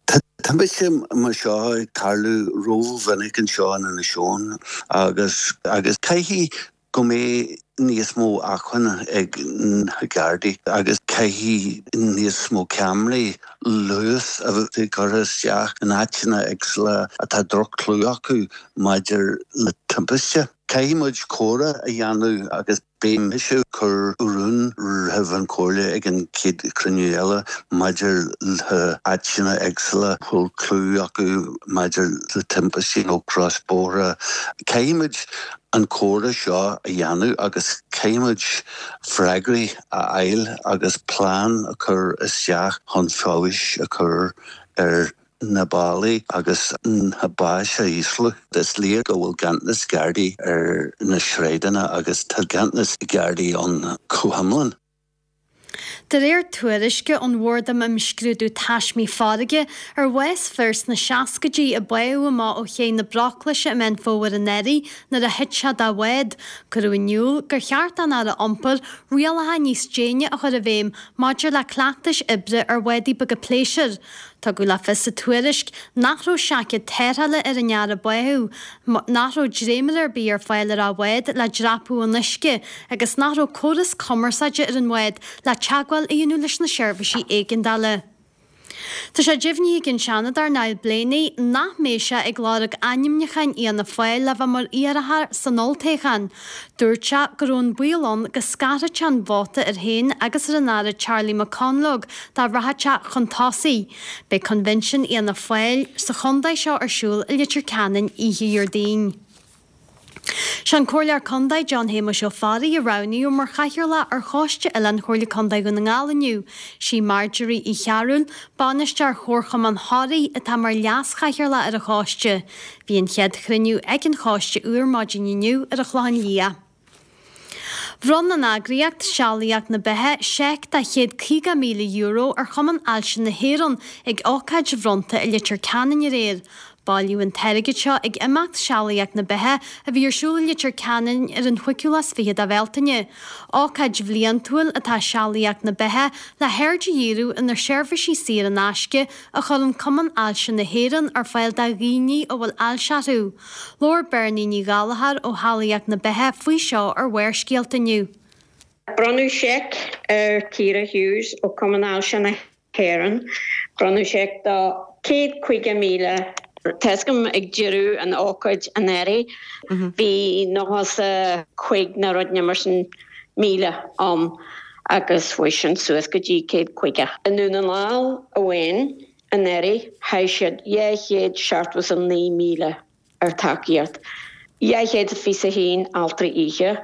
Tá timpiste mar seo ag tarlú rómhinic anseo in Inis Eoghain agus agus caithfidh go mbeidh níos mó acmhainne ag na Gardaí agus caithfidh níos mó ceamaraí luais a bheith curtha isteach in áiteanna éagsúla atá droch-chlú acu maidir le timpiste. Caithfidh muid comhrá a dhéanamh agus beidh mise ag cur rún roimh an Chomhairle ag an chéad chruinniú eile maidir le áiteanna éagsúla a bhfuil clú acu maidir le timpistí nó crosbhóithre. Caithfidh muid an comhrá seo a dhéanamh agus caithfidh muid freagraí a fháil agus plean a chur isteach chun feabhais a chur ar na bealaí agus na báis a ísliú. Is léir go bhfuil ganntanas Gardaí ar na sráideanna agus tá ganntanas Gardaí ann go hiomlán. De réir tuairisce ón Bhord um Imscrúdú Taismí Farraige ar bhás fir sna seascaidí a báthadh amach ó ché na Breoclaise i Meán Fómhair anuraidh nuair a thit sé dá bhád, cuireadh in iúl gur cheart don Aire Iompair rialacha níos déine a chur i bhfeidhm maidir le cleachtais oibre ar bhádaí beaga pléisiúir. Tugadh le fios sa tuairisc nach raibh seaicéad tarrthála ar an fhear a báthadh, nach raibh dréimire ar bith ar fáil ar a bhád le dreapadh an uisce agus nach raibh córas cumarsáide ar an bhád le teagmháil a dhéanamh leis na seirbhísí éigeandála. Tá sé deimhnithe ag an Seanadóir Niall Blaney nach mbeidh sé ag lorg ainmniúcháin Fhianna Fáil le bheith mar iarrthóir san olltoghchán. Dúirt sé go raibh an baol ann go scarfadh sé an vóta air féin agus ar an Aire Charlie McConalogue dá rachadh sé chun tosaigh. Beidh Coinbhinsiún Fhianna Fáil sa chontae seo ar siúl i Leitir Ceanainn oíche Dhéardaoin. Sé an Comhairleoir Contae John Shéamuis Ó Fearraigh a roghnaíodh mar Chathaoirleach ar Choiste Oileáin Chomhairle Contae Dhún na nGall inniu. Sí Marjorie Uí Chearúil, Bainisteoir Chomharchumann Thoraí, atá mar Leas-Chathaoirleach ar an choiste. Bhí an chéad chruinniú ag an choiste úr maidin inniu ar an Chlochán Liath. Bhronn an eagraíocht Sealaíocht na Beatha seic de €150,000 ar Chumann Ailse na hÉireann ag ócáid bhronnta i Leitir Ceanainn aréir. Bailíodh an t-airgead seo ag imeacht Sealaíocht na Beatha a bhí ar siúl i Leitir Ceanainn ar an chúigiú lá is fiche de Bhealtaine. Ócáid bhliantúil atá i Sealaíocht na Beatha le haird a dhíriú ar na seirbhísí saor in aisce a chuireann Cumann Ailse na hÉireann ar fáil do dhaoine a bhfuil ailse orthu. Labhair Bernie Ní Ghallchóir ó Shealaíocht na Beatha faoi seo ar Bharrscéalta inniu. Bronnadh seic ar Ciara Hughes ó Cumann Ailse na hÉireann. Bronnadh seic de 150,000. Tá's agam ag deireadh an ócáid anuraidh bhí 95 nó rud mar sin míle ann agus chuaigh sin suas go dtí 150. I nDún na nGall amháin anuraidh chaith siad 279,000 ar tacaíocht, 221 altraí oíche,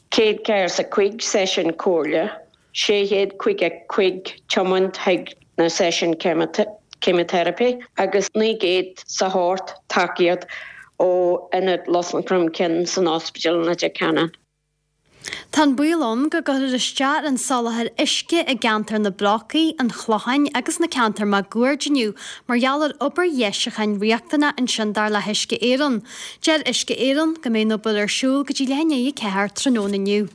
145 seisiún comhairle, 655 tiomáint chuig na seisiúin ceimiteiripe agus 908 tacaíocht ó Ionad Lus Chromcinn san Ospidéal i Leitir Ceanainn. Tá an baol ann go gcuirfear isteach ar an soláthar uisce i gceantar na Brocaí, an Chlocháin agus na ceantair máguaird inniu mar gheall ar obair dheisiúcháin riachtanach ansin dar le hUisce Éireann. Deir Uisce Éireann go mbeidh an obair ar siúl go dtí leath i ndiaidh 4 tráthnóna inniu.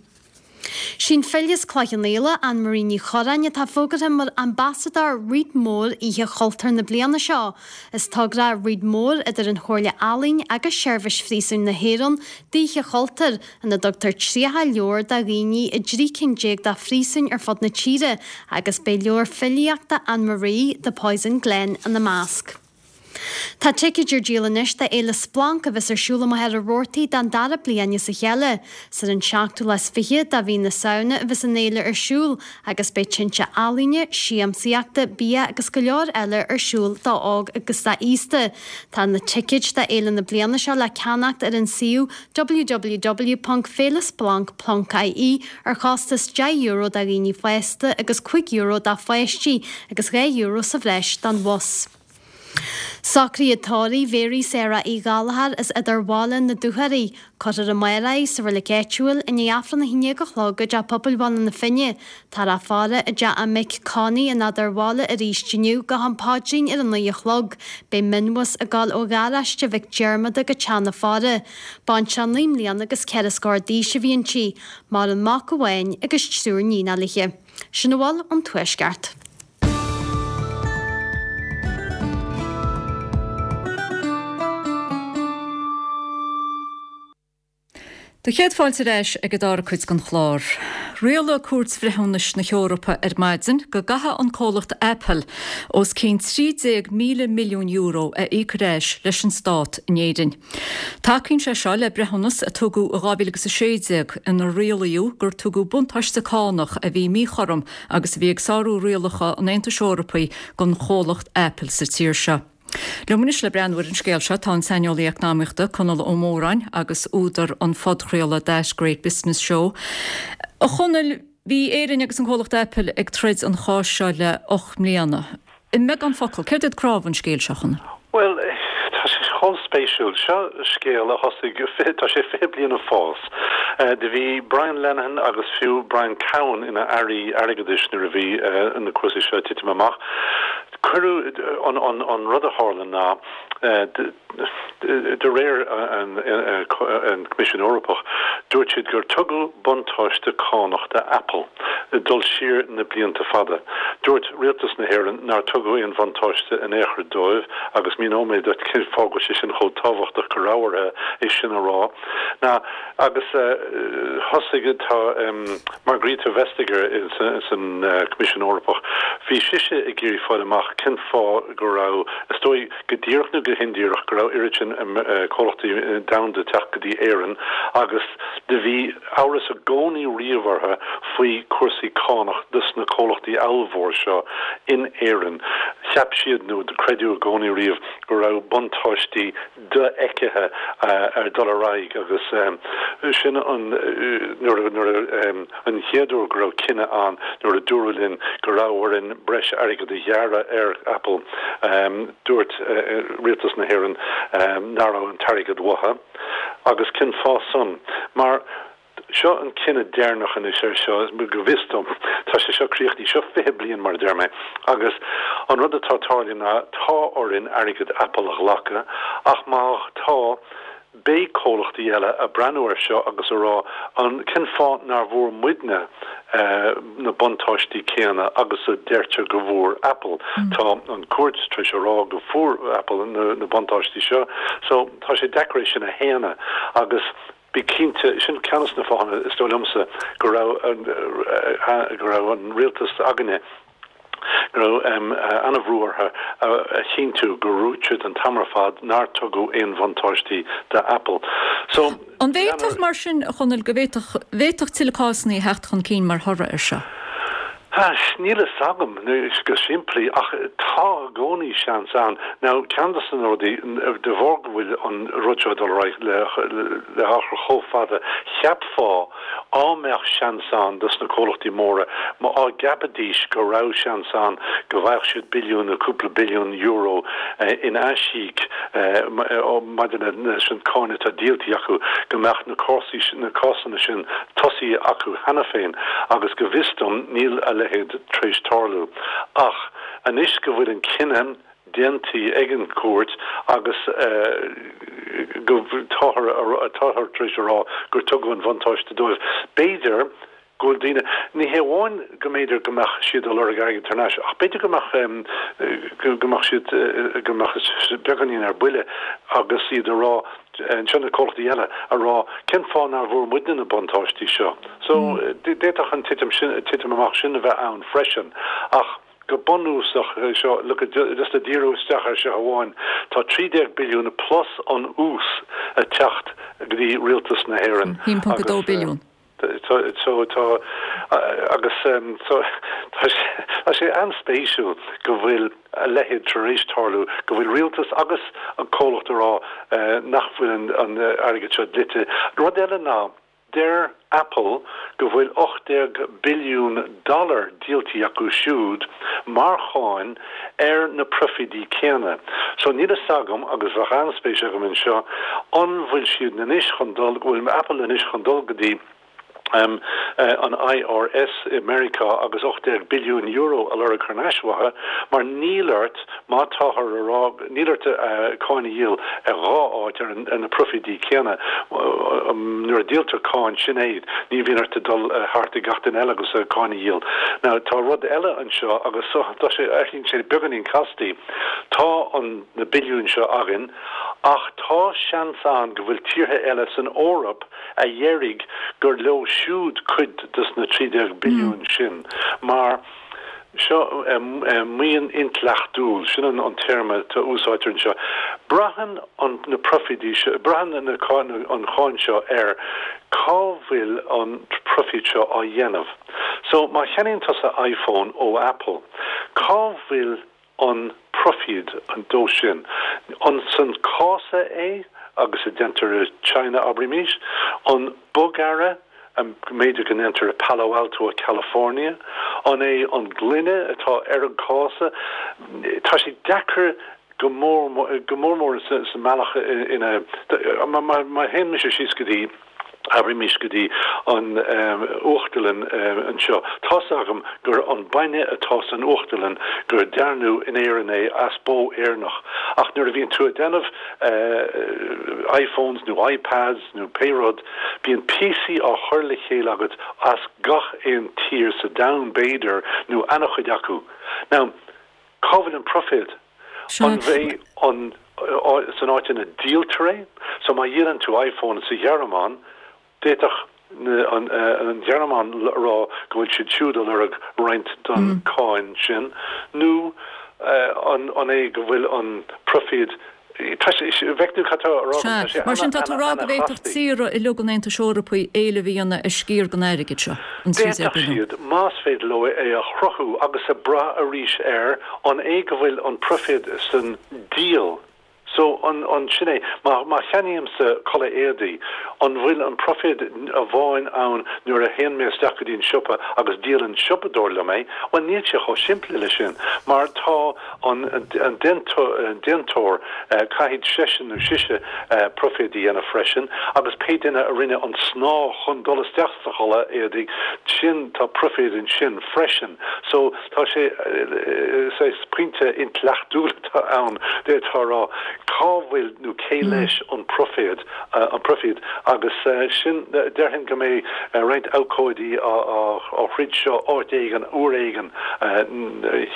Sí an file as Cloich Cheann Fhaola, Anne Marie Ní Churráin, atá fógartha mar Ambasadóir Read More Oíche Chultúir na bliana seo. Is togra Read More idir an Chomhairle Ealaíon agus Seirbhís Phríosúin na hÉireann d'Oíche Chultúir, ina dtugtar 30 leabhar do dhaoine i dtrí cinn déag de phríosúin ar fud na tíre agus beidh leabhar filíochta Anne Marie, The Poison Glen, ina measc. Tá ticéid ar díol anois do Fhéile Splanc a bheas ar siúl i Machaire Rabhartaigh don dara bliain as a chéile. Is ar an seachtú lá is fiche de mhí na Samhna a bheas an fhéile ar siúl agus beidh tinte ealaíne, siamsaíochta, bia agus go leor eile ar siúl d'óg agus d'aosta. Tá na ticéid do fhéile na bliana seo le ceannacht ar an suíomh www.féilesplanc.ie ar chostas €10 do dhaoine fásta agus €5 do pháistí agus €2 sa bhreis don bhus. Socruithe tórraimh Mhary Sarah Uí Ghallchóir as Eadarbhaile na Dúchoraidhe. Cuirfear amárach í sa reilig áitiúil i ndiaidh Aifreann 11 a chlog i dTeach Pobail Bhaile na Finne. Táthar á faire i dteach a mic Connie in Eadarbhaile arís inniu go ham paidrín ar a 9 a chlog. Beidh mionbhus ag dul ó gharáiste Mhic Diarmada go teach na faire. Baintreach 9 mbliana agus 4 scór d'aois a bhí inti. Maireann mac amháin agus triúr níonacha léi. Sin a bhfuil ón Tuaisceart. Do chéad fáilte ar ais ag an dara cuid den chlár. Rialaigh Cúirt Bhreithiúnais na hEorpa ar maidin go gcaithfidh an comhlacht Apple os cionn €13,000 milliún a íoc ar ais leis an stát in Éirinn. Tacaíonn sé seo le breithiúnas a tugadh i 2016 inar rialaíodh gur tugadh buntáiste cánach a bhí míchothrom agus a bhí ag sárú rialacha an Aontais Eorpaigh don chomhlacht Apple sa tír seo. Liom anois le breathnú ar an scéal seo tá an saineolaí eacnamaíochta Conall Ó Móráin agus údar an phodchraoladh That Great Business Show. A Chonaill, bhí Éirinn agus an comhlacht Apple ag troid an cháis seo le 8 mbliana. I mbeagán focal, céard iad cnámha an scéil seo, a Chonaill? Bhuel, tá sé chomh spéisiúil. Seo scéal a thosaigh, tá sé 20 bliain ag fás. Do bhí Brian Lenihan agus fiú Brian Cowen ina airí airgeadais nuair a bhí na cúrsaí seo ag titim amach. Cuireadh, an rud a tharla ná, De réir an Choimisiúin Eorpach, dúirt siad gur tugadh buntáiste cánach do Apple dul siar na blianta fada. Dúirt rialtas na hÉireann nár tugadh aon bhuntáiste in aon chor dóibh agus míneoidh mé duit cén fáth go bhfuil sé sin chomh tábhachtach go raibh orthu é sin a rá. Ná agus thosaigh tá Margrethe Vestager san Coimisiún Eorpach, bhí sise ag iarraidh fáil amach cén fáth go raibh, is dóigh, go díreach nó go hindíreach, go raibh oiread sin comhlachtaí domhanda ag teacht go dtí Éirinn agus do bhí amhras i gcónaí riamh orthu faoi cúrsaí cánach dos na comhlachtaí ollmhór seo in Éirinn. Cheap siad, nó do creideadh i gcónaí riamh, go raibh buntáistí dofheicthe ar dul ar aghaidh agus sin an nuair nuair an chéad uair go raibh cinneadh ann nuair a dúradh linn go raibh orainn breis airgid a ghearradh ar Apple dúirt rialtas na hÉireann nach raibh an t-airgead uathu agus cén fáth san mar Seo an cinneadh deireanach anois air seo, go bhfios dom. Tá sé seo críochnaithe. Seo 20 bliain, mar a deir mé. Agus an rud atá tarlaithe ná tá orainn airgead Apple a ghlacadh, ach má tá, beidh comhlachtaí eile ag breathnú air seo agus a rá, an, cén fáth nár bhfuair muidne na buntáistí céanna agus a deirtear go bhfuair Apple? Tá an cúirt tar éis a rá go bhfuair Apple na buntáistí seo, so tá sé deacair é sin a shéanadh. Agus. Bí cinnte, sin ceann de na fáthanna, is dóigh liomsa, go raibh, go raibh an rialtas againne, go raibh an-bhrú orthu a chinntiú gur dhúirt siad an t-am ar fad nár tugadh aon bhuntáistí do Apple. So, An bhféadfadh, mar sin, a Chonaill, go bhféadfadh, bhféadfadh tuilleadh cásanna a theacht chun cinn mar thoradh air seo? Níl a fhios agam, go simplí, ach tá i gcónaí seans ann. Now, ceann de na rudaí, de bharr go bhfuil an rud seo ag dul ar aghaidh le hachar chomh fada, cheapfá á mbeadh seans ann dos na comhlachtaí móra, má á gceapfaidís go raibh seans ann go bhfaigheadh siad billiún nó cúpla billiún euro in aisíoc maidir leis an cáin atá díoltaí acu, go mbeadh na cásanna sin tosaithe acu cheana féin agus go bhfios dom níl a leithéid tar éis tarlú. Ach anois go bhfuil an cinneadh déanta ag an gcúirt agus go táthar táthar tar éis a rá gur tugadh an bhuntáiste dóibh, b'fhéidir go bhfuil daoine, ní hé amháin go mb'fhéidir go mbeadh siad ag lorg airgead thar n-ais ach b'fhéidir go mbeadh go mbeadh siad go mbeadh beagáinín ar buile agus iad ag rá Anseo na comhlachtaí eile a rá cén fáth nár bhfuair muidne na buntáistí seo. So d'fhéadfadh an titim sin, titim amach sin a bheith ann freisin. Ach. Go bunúsach, seo, look at, just le díriú isteach ar seo amháin, tá 13 billiún plus an ús ag teacht go dtí rialtas na hÉireann. 1.2 billiún. So tá, agus so tá sé, tá sé an-spéisiúil go bhfuil a leithéid tar éis tarlú, go bhfuil rialtas agus an comhlacht ag rá nach bhfuil an airgead seo dlite. Rud eile ná, Deir Apple go bhfuil 18 billiún dollar díoltaí acu siúd mar cháin ar na proifídí céanna. So níl fhios agam, agus bheadh an-spéis agam anseo, an bhfuil siad anois chun dul, go bhfuil Apple anois chun dul go dtí an IRS i Meiriceá agus 18 billiún euro a lorg thar n-ais uathu, mar níl ort, Má táthar a rá, níl ort cáin a dhíol ar dhá áit ar na proifídí céanna. Nuair a dhíoltar cáin, sin é, ní bhíonn ort dul thart ag gach duine eile agus cáin a dhíol. Now, tá rud eile anseo agus tá sé, éiríonn sé beagáinín castaí. Tá an, na billiúin seo againn ach tá seans ann go bhfuil tíortha eile san Eoraip a dhéarfaidh gur leo siúd cuid des na 13 billiún sin mar, Seo maoin intleachtúil, sin an téarma a úsáidtear anseo. Braitheann an na proifídí seo, braitheann na an cháin seo ar cá bhfuil an proifíd seo á dhéanamh. So má cheannaíonn tusa iPhone ó Apple, cá bhfuil an proifíd dó sin? An san cása é agus a déantar i China, abraímís? An bogearra a mb'fhéidir go ndéantar i Palo Alto i California? An é an gloine atá ar an cása? Tá sé deacair go mór go mór mór sa mbealach ina má théann mise síos go dtí abraimis go dtí an uachtarlann anseo. Tá's agam gur an bainne atá san uachtarlann gur dearnadh in Éirinn é as bó Éireannach. Ach nuair a bhíonn tú ag déanamh iPhones nó iPads nó pé rud, bíonn píosaí á chur le chéile agat as gach aon tír sa domhan b'fhéidir, nó ana-chuid acu. Now, cá bhfuil an proiféad? An é an san áit ina díoltar é? So má dhíolann tú iPhone sa Ghearmáin, d'fhéadfadh an Ghearmáin a rá go bhfuil siad siúd ag lorg roinnt den cáin sin, nó an é go bhfuil an proifíd Tá sé, bhfeic tú cad tá á rá agam, tá sé Sea, mar sin tá tú ag rá go bhféadfadh tíortha uilig an Aontais Eorpaigh éileamh a dhéanamh ar sciar den airgead seo, an 13 D'fhéadfadh billiún. siad, más féidir leo é a chruthú agus ag brath arís ar an é go bhfuil an proiféad san díol so, an, an, sin é, má, má cheannaímse culaith éadaí, an bhfuil an proiféad amháin ann nuair a théann mé isteach go dtí an siopa agus díolann siopadóir liom é? Bhuel, níl sé chomh simplí le sin, mar tá an déantóir, caithfidh seisean nó sise proiféad a dhéanamh freisin, agus pé duine a rinne an snáth chun dul isteach sa chulaith éadaigh sin, tá proiféad ansin freisin. So, tá sé, saghas pointe intleachtúil atá ann, d'fhéadfá a rá, cá bhfuil nó cé leis an proiféad, an proifíd, agus sin, déarfainn go mbeidh roinnt abhcóidí á throid seo áit éigin, uair éigin,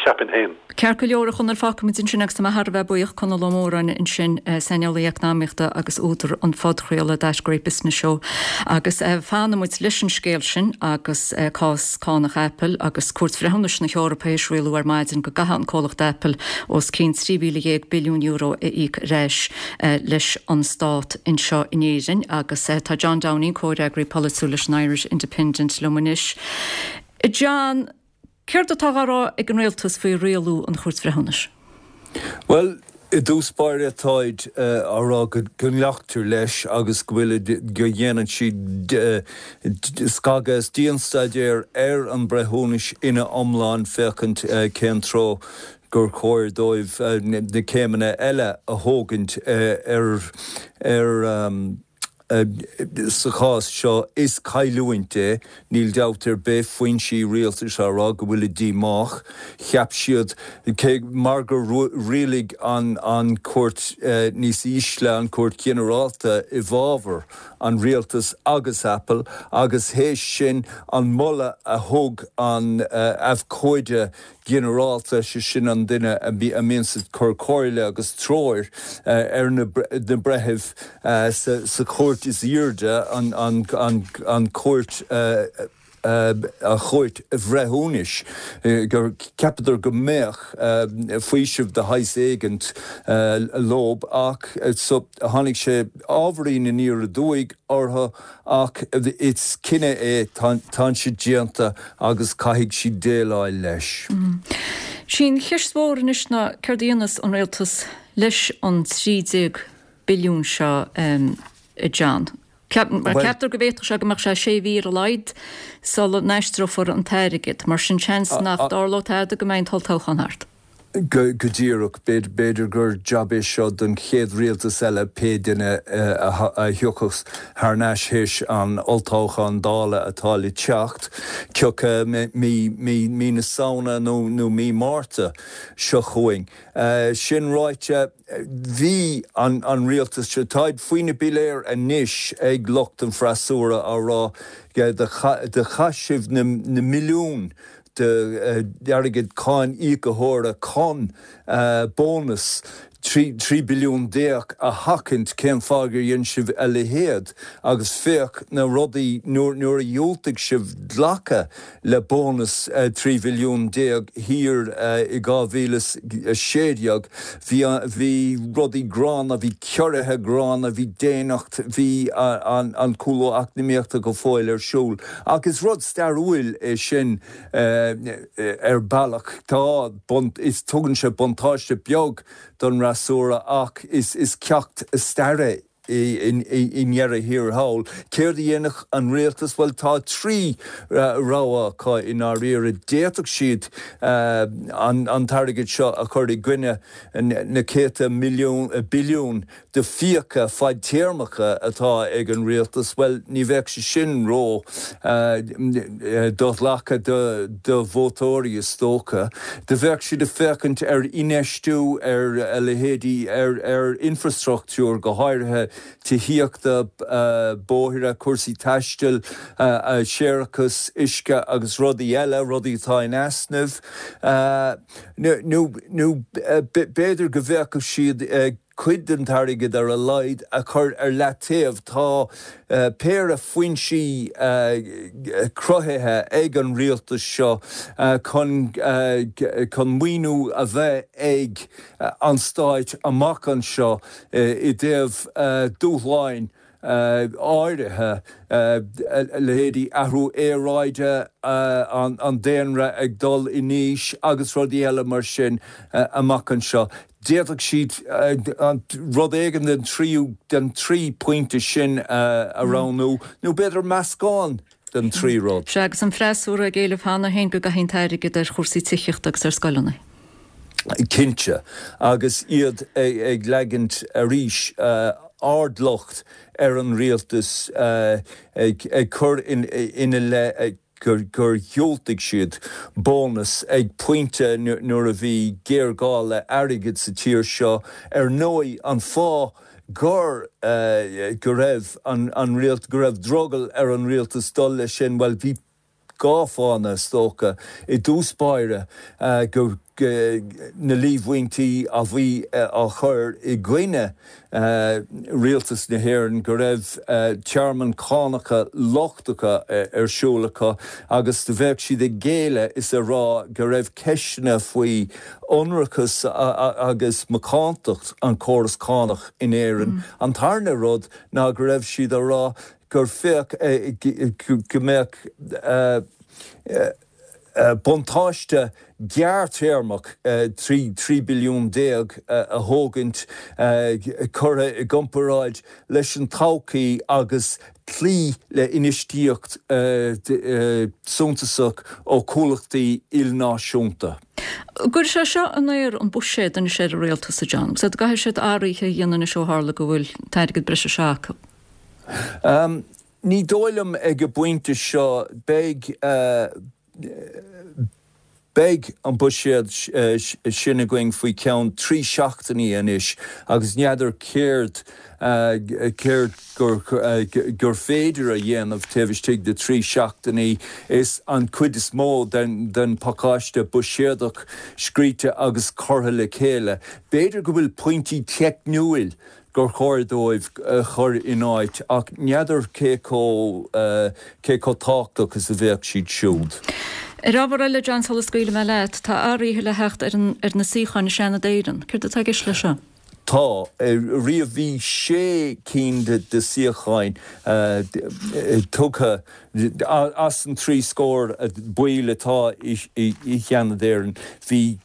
cheapfainn féin. Ceart go leor, a Chonaill, fágfaimid ansin agus tá mé thar a bheith buíoch, Conall Ó Móráin ansin, saineolaí eacnamaíochta agus údar an phodchraoladh That Great Business Show. Agus fanfaidh muid leis an scéal sin agus cás cánach Apple agus Cúirt Bhreithiúnais na hEorpa théis rialú ar maidin go gcaithfidh an comhlacht Apple os cionn €13,000 billiún a íoc ar ais leis an stát anseo in Éirinn. Agus tá John Downing, comhfhreagraí polaitiúil leis an Irish Independent liom anois. John, Céard atá á rá ag an rialtas faoi rialú an Chúirt Bhreithiúnais? Bhuel, i dtús báire táid á rá go nglactar leis agus go bhfuil, go ndéanann siad scagadh is dianstaidéar ar an breithiúnas ina iomlán féachaint cén treo gur chóir dóibh na céimeanna eile a thógaint ar ar Sa chás seo, is cailliúint é, níl dabht ar bith, foinsí rialtais á rá go bhfuilid díomách. Cheap siad, cé mar gur rialaigh an chúirt níos ísle, an Chúirt Ghinearálta, i bhfabhar an rialtais agus Apple, agus théis sin an moladh a thug an abhcóide ginearálta, sé sin an duine a mbíonns ag cur comhairle agus treoir ar na breithimh sa chúirt is airde, an Chúirt. An Chúirt Bhreithiúnais, gur cheapadar go mbeadh faoiseamh de shaghas éigint leob ach so tháinig sé ábhairín aniar aduaidh orthu ach is cinneadh é, tá sé déanta agus caithfidh siad déileáil leis. Sí an cheist mhór anois ná céard a dhéanfas an rialtas leis an 13 billiún seo, a John? Ceaptar go bhféadfadh sé go mbeadh sé sé mhí ar a laghad sula n-aistreofar an t-airgead, mar sin seans nach dtarlóidh tada go mbeidh an t-olltoghchán thart. Go díreach. B'fhéidir gur jab é seo don chéad rialtas eile, pé duine a thiocfas thar n-ais théis an olltoghcháin Dála atá le teacht, cioca mí na Samhna nó mí Márta seo chugainn. Sin ráite, bhí an rialtas seo, táid faoi na piléir anois ag lucht an freasúra á rá do chaith sibh na milliúin d'airgead cáin íocaitheora chun bónas 13 billiún a sheachaint, cén fáth gur dhein sibh a leithéid? Agus féach na rudaí, nuair a dhiúltaigh sibh glacadh le bónas 13 bhilliún thiar i 2016, bhí, bhí rudaí gránna, bhí ciorruithe gránna, bhí déanacht, bhí an cúlú eacnamaíochta go fóill ar siúl. Ach is rud stairiúil é sin ar bealach. Tá, is, tugann sé buntáiste beag don fhreasúra ach is ceacht staire é i ndeireadh thiar thall. Céard a dhéanfadh an rialtas? Bhuel, tá trí rogha acu i ndáiríre. D'fhéadfadh siad an t-airgead seo a chur i gcoinne na céadta milliún, billiún de fiacha fadtéarmacha atá ag an rialtas, bhuel, ní bheadh sé sin ró do-ghlactha do vótóirí, is dócha. Do bheadh siad ag féachaint ar infheistiú ar a leithéidí, ar infreastruchtúr, go háirithe tithíochta, bóithre, cúrsaí taistil, séarachas, uisce agus rudaí eile, rudaí atá in easnamh. Nó b'fhéidir go bhféachfadh siad cuid den t-airgead ar a laghad a chur ar leataobh. Tá péire foinsí cruthaithe ag an rialtas seo chun chun maoiniú a bheith ag an stáit amach anseo i dtaobh dúshláin áirithe, leithéidí athrú aeráide, an daonra ag dul in aois agus rudaí eile mar sin amach anseo. D'fhéadfadh siad rud éigin den tríú, den trí pointe sin a roghnú, nó b'fhéidir meascán den trí rud. Sea, agus an freasúra ag éileamh cheana féin go gcaithfí an t-airgead ar chúrsaí tithíochta agus ar scoileanna. Cinnte, agus iad ag leagaint arís ardlocht ar an rialtas, ag cur ina leith gur dhiúltaigh siad bónas ag pointe nuair a bhí géarghá le airgead sa tír seo. Ar ndóigh, an fáth gur go raibh an rialt, go raibh drogall ar an rialtas dul leis sin, bhuel, bhí dhá fáthanna, is dócha. I dtús báire, go na líomhaintí a bhí á chur i gcoinne rialtas na hÉireann go raibh tearmann cánacha lochtacha ar siúl acu agus do bheadh siad ag géilleadh is ag rá go raibh ceisteanna faoi ionracas agus macántacht an chóras cánach in Éirinn. An tarna rud ná go raibh siad á rá gur féach go mbeadh buntáiste gearrthéarmach 13 billiún a thógaint curtha i gcomparáid leis an todhchaí agus cloí le infheistíocht suntasach ó chomhlachtaí ilnáisiúnta. Cuirfidh sé seo in aer an buiséad anois ar an rialtas, a John, agus go gcaithfidh siad athruithe a dhéanamh anois ó tharla go bhfuil an t-airgead breise seo acu. Ní dóigh liom ag an bpointe seo. Beidh, beidh an buiséad sin againn faoi cheann trí seachtainí anois agus n'fheadar céard, céard gur, gur féidir a dhéanamh taobh istigh de thrí seachtainí. Is an chuid is mó den, den phacáiste buiséadach scríte agus curtha le chéile. B'fhéidir go bhfuil pointí teicniúil. gur chóir dóibh a chur in áit ach n'fheadar cé chomh cé chomh tábhachtach is a bheadh siad siúd. Ar ábhar eile, John, sula scaoilfidh mé leat, tá athruithe le theacht ar an ar na suíocháin i Seanad Éireann. Céard atá i gceist leis seo? Tá. Riamh bhí sé cinn de suíocháin tugtha as an 30 scór baill atá i Seanad Éireann. Bhí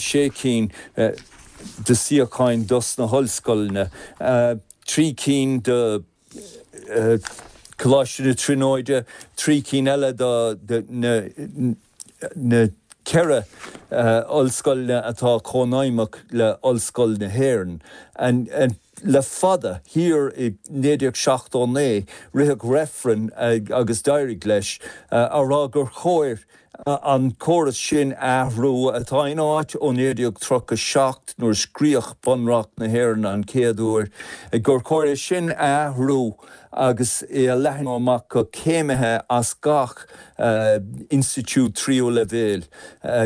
sé cinn de suíocháin dos na hollscoileanna, 3 cinn do Choláiste na Tríonóide, 3 cinn eile do na 4 ollscoileanna atá comhfheidhmeach le Ollscoil na hÉireann. Le fada, thiar i 1979, ritheadh reifreann agus d'éirigh leis, á rá gur chóir an córas sin a athrú, atá in áit ó 1937 nuair a scríodh Bunreacht na hÉireann an chéad uair, gur chóir é sin a athrú agus é a leathnú amach go céimithe as gach institiúid tríú leibhéal,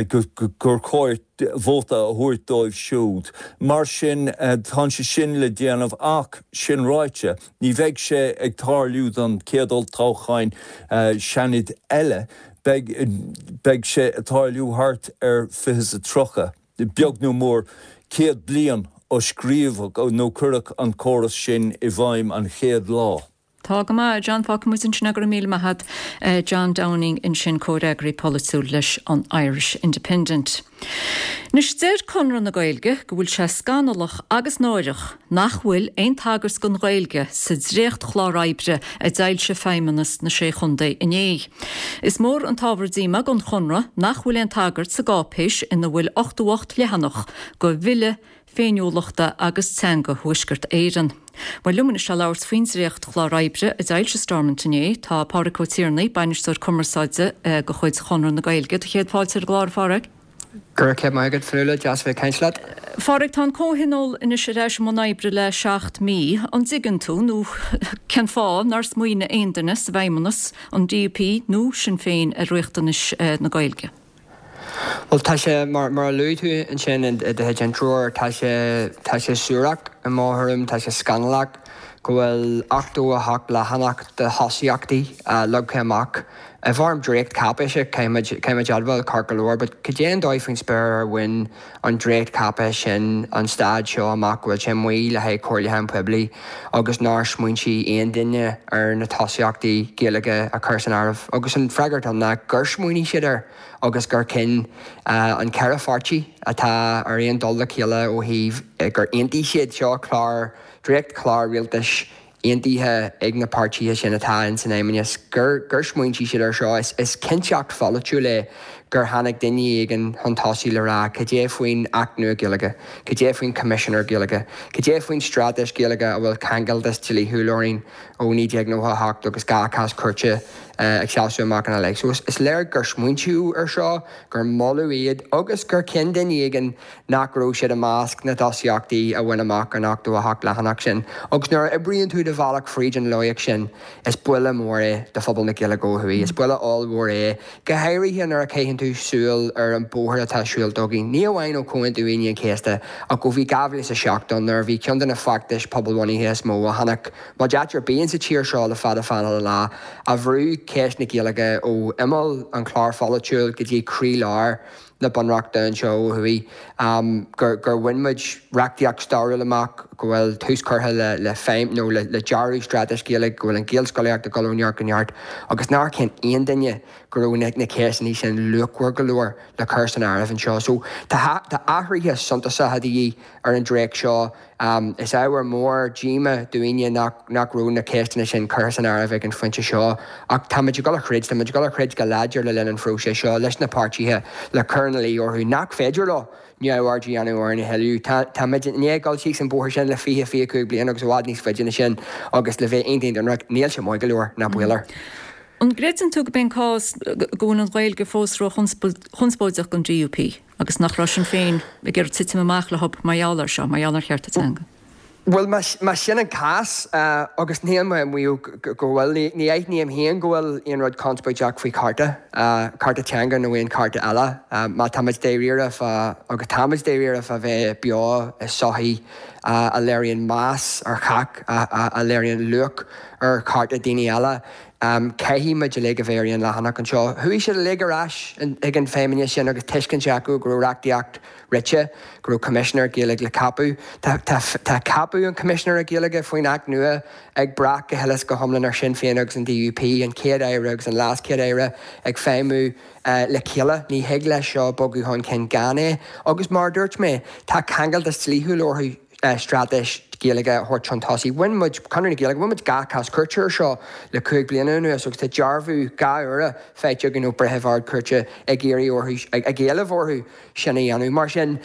gur chóir vóta a thabhairt dóibh siúd. Mar sin, tá sé sin le déanamh ach, sin ráite, Ní bheidh sé ag tarlú don chéad olltoghchán Seanaid eile, beidh beidh sé ag tarlú thart ar 2030, beag nó mór, 100 bliain ó scríobhadh nó cuireadh an córas sin i bhfeidhm an chéad lá. Tá go maith, a John, fágfaidh muid ansin é, go raibh míle maith agat. John Downing ansin, comhfhreagraí polaitiúil leis an Irish Independent. Anois, deir Conradh na Gaeilge go bhfuil sé scannalach agus náireach nach bhfuil aon tagairt don Ghaeilge sa dréachtchlár oibre a d'fhoilsigh Feidhmeannas na Sé Chontae inné. Is mór an t-ábhar díomá don Chonradh nach bhfuil aon tagairt sa gcáipéis ina bhfuil 88 leathanach do Bhille Féiniúlachta agus Teanga Thuaisceart Éireann. Bhuel, liom anois le labhairt faoin dréachtchlár oibre a d'fhoilsigh Stormont inné, tá Pádraig Ó Tiarnaigh, Bainisteoir Cumarsáide de chuid Chonradh na Gaeilge. Do chéad fáilte ar an gclár, a Phádraig. Go raibh céad maith agat, Fionnuala, deas a bheith ag caint leat. A Phádraig, tá an Comhthionól anois ar ais i mbun oibre le 7 mí. An dtuigeann tú, nó cén fáth, nár smaoinigh aon duine sa bhFeidhmeannas, an DUP nó Sinn Féin, ar riachtanais na Gaeilge? Bhuel, tá sé, mar a luaigh tú ansin i do chuid intreoir, tá sé, tá sé suarach i mo thuairim, tá sé scannalach go bhfuil 88 leathanach de thosaíochtaí leagtha amach i bhfoirm dréachtcháipéise, caithfimid, caithfimid admháil, ceart go leor, but cad é an dóigh faoin spéir ar bhain an dréachtcháipéis sin an staid seo amach go bhfuil sé amuigh le haghaidh comhairliúchán poiblí agus nár smaointigh aon duine ar na tosaíochtaí Gaeilge a chur san áireamh. Agus an freagairt ann ná gur smaoinigh siad air agus gur chinn an ceithre pháirtí atá ar aon dul le chéile ó thaobh gur aontaigh siad seo clár, dréachtchlár rialtais aontaithe ag na páirtithe sin atá in san Fheidhmeannas gur gur smaointigh siad air seo. Is cinnteacht pholaitiúil é gur tháinig duine éigin chun tosaigh le rá cad é faoin Acht nua Gaeilge, cad é faoin Choimisinéir Gaeilge, cad é faoin Straitéis Ghaeilge a bhfuil ceangaltas dlíthiúil orainn ó 1998 agus 2 chás cúirte ag seasamh amach ina leith. So is léir gur smaointíodh air seo, gur moladh iad agus gur chinn duine éigin nach raibh siad i measc na dtosaíochtaí a bhain amach an 88 leathanach sin. Agus nuair a oibríonn tú do bhealach fríd an loighic sin, is buille mór é do phobal na Gaeilge ó thuaidh. Is buille ollmhór é, go háirithe nuair a chaitheann tú súil ar an bóthar atá siúlta againn, ní amháin ó Chomhaontú Aoine an Chéasta, ach ó bhí 2007 ann, nuair a bhí ceann de na feachtais pobalbhunaithe is mó a chonaic muid áit ar bith insa tír seo le fada fada an lá, a bhrú ceist na Gaeilge ó imeall an chláir pholaitiúil go dtí croílár na Bunreachta anseo ó thuaidh, gur gur bhain muid reachtaíocht stairiúil amach, go bhfuil tús curtha le le feidhm nó le le dearadh straitéis Gaeilge, go bhfuil an Ghaelscolaíocht ag dul ó neart go neart agus nár chinn aon duine go raibh na na ceisteanna sin luachmhar go leor le cur san áireamh anseo. So tá tá athruithe suntasacha de dhíth ar an dréacht seo. Is ábhar mór díomá dúinne nach raibh na ceisteanna sin curtha san áireamh ag an phointe seo ach táimid ag dul a throid, táimid ag dul a throid go láidir le linn an phróisis seo leis na páirtithe le cur ina luí orthu nach féidir leo neamhaird a dhéanamh orainn a thuilleadh. Táimid i ndiaidh dul síos an bóthar sin le 20, 25 bliain agus i bhfad níos faide ná sin agus le bheith iontach ionraic, níl sé maith go leor, ná baol air. An gcreideann tú go b'é an cás go bhfuil an Ghaeilge fós ró-chonspóideach don DUP? Agus nach raibh Sinn Féin ag iarraidh titim amach leo mar gheall air seo, mar gheall ar chearta teanga. Bhuel, más sin an cás, agus níl mé ag maíomh go bhfuil, ní aithním féin go bhfuil aon rud conspóideach faoi chárta, cárta teanga nó aon chárta eile. Má táimid dáiríre fá, agus táimid dáiríre fá bheith beo i sochaí a léiríonn meas ar chách, a léiríonn luach ar chearta daoine eile, caithfidh muid uilig a bheith ar aon leathanach anseo. Chuaigh siad uilig ar ais chuig an Feidhmeannas sin agus tuiscint acu go raibh reachtaíocht rite, go raibh Coimisinéir Gaeilge le ceapadh. Tá ceapadh an Choimisinéara Gaeilge faoin Acht nua ag brath go huile is go hiomlán ar Shinn Féin agus an DUP, an Chéad-Aire agus an LeasChéad-Aire ag feidhmiú le chéile. Ní thig leis seo bogadh chun cinn gan é. Agus mar a dúirt mé, tá ceangaltas dlíthiúil orthu straitéis Ghaeilge a thabhairt chun tosaigh. Bhain muid, Conradh na Gaeilge, bhain muid 2 chás cúirte ar seo le 5 bliana anuas agus tá dearbhú 2 uaire faighte againn ó bhreitheamh Ard-Chúirte ag iarraidh orthu, ag éileamh orthu sin a dhéanamh. Mar sin,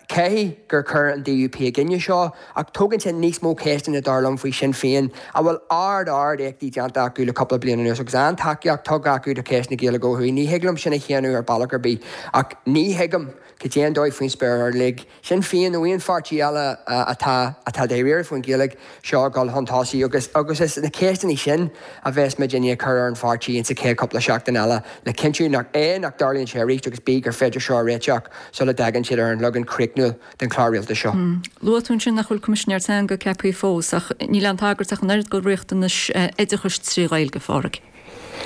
caithfidh gur chuir an DUP i gcoinne seo, ach tógann sé níos mó ceisteanna, dar liom, faoi Shinn Féin, a bhfuil ard-ard-éachtaí déanta acu le cúpla bliain anuas agus an-tacaíocht tugtha acu do cheist na Gaeilge ó thuaidh. Ní thig liom sin a shéanadh ar bealach ar bith, ach ní thuigim cad é an dóigh faoin spéir ar lig Sinn Féin nó aon pháirtí eile atá atá dáiríre faoin Ghaeilge seo a dhul chun tosaigh agus agus is na ceisteanna sin a bheas muid i ndiaidh cur ar an pháirtí insa chéad cúpla seachtain eile le cinntiú nach A nach dtarlaíonn sé arís agus B gur féidir seo a réiteach sula dtagann siad ar an leagan críochnúil den chlár rialtais seo. Luaigh tú ansin nach bhfuil Coimisinéir Teanga ceaptha fós ach níl aon tagairt ach an oiread do riachtanais oideachais trí Ghaeilge, a Phádraig.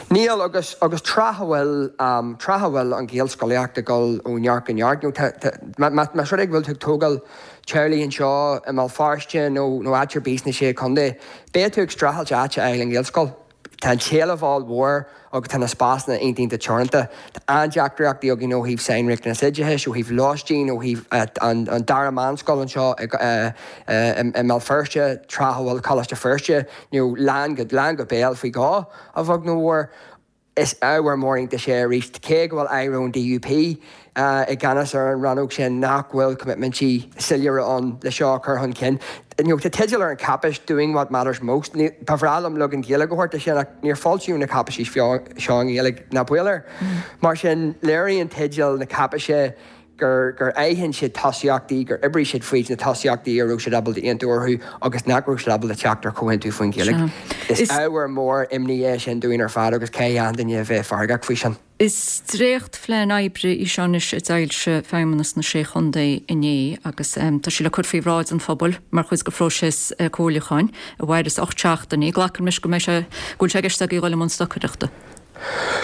Níl, agus, agus tráth a bhfuil, tráth a bhfuil an Ghaelscolaíocht ag dul ó neart go neart, nó tá, tá, má, má, más rud é go bhfuil tú ag tógáil teaghlaigh anseo i mBéal Feirste nó, nó áit ar bith sna Sé Chontae, beidh tú ag streachailt áit a fháil i nGaelscoil. Tá an t-éileamh ollmhór agus tá na spásanna iontach iontach teoranta. Tá an-deacrachtaí againn ó thaobh sainriachtanas oideachais, ó thaobh lóistín, ó thaobh an, an dara meánscoil anseo i, i, i mBéal Feirste, tráth a bhfuil Coláiste Feirste, nó lán go, lán go béal faoi dhó, a bheag nó a mhór. Is ábhar mór iontais é arís, cé go bhfuil aire ón DUP i gceannas ar an rannóg sin, nach bhfuil coimitmintí soiléire ann le seo a chur chun cinn. You know, tá teideal ar an cháipéis, Doing What Matters Most. Ní, ba bhreá liom leagan Gaeilge a thabhairt de sin ach níor foilsíodh na cáipéisí seo i nGaeilge, ná baol air. Mar sin, léiríonn teideal na cáipéise gur gur aithin siad tosaíochtaí, gur oibrigh siad fríd na tosaíochtaí a raibh siad ábalta aontú orthu agus nach raibh siad ábalta teacht ar chomhaontú faoin Ghaeilge. Is ábhar mór imní é sin dúinn ar fad agus caithfidh achan duine a bheith feargach faoi sin. Is dréachtphlean oibre í seo anois a d'fhoilsigh Feidhmeannas na Sé Chontae inné agus tá sí le cur faoi bhráid an phobail mar chuid de phróiseas comhairliúcháin a mhairfeas 8 seachtainí. Glacaim leis go mbeidh sé, go bhfuil sé i gceist agaibh dul i mbun stocaireachta.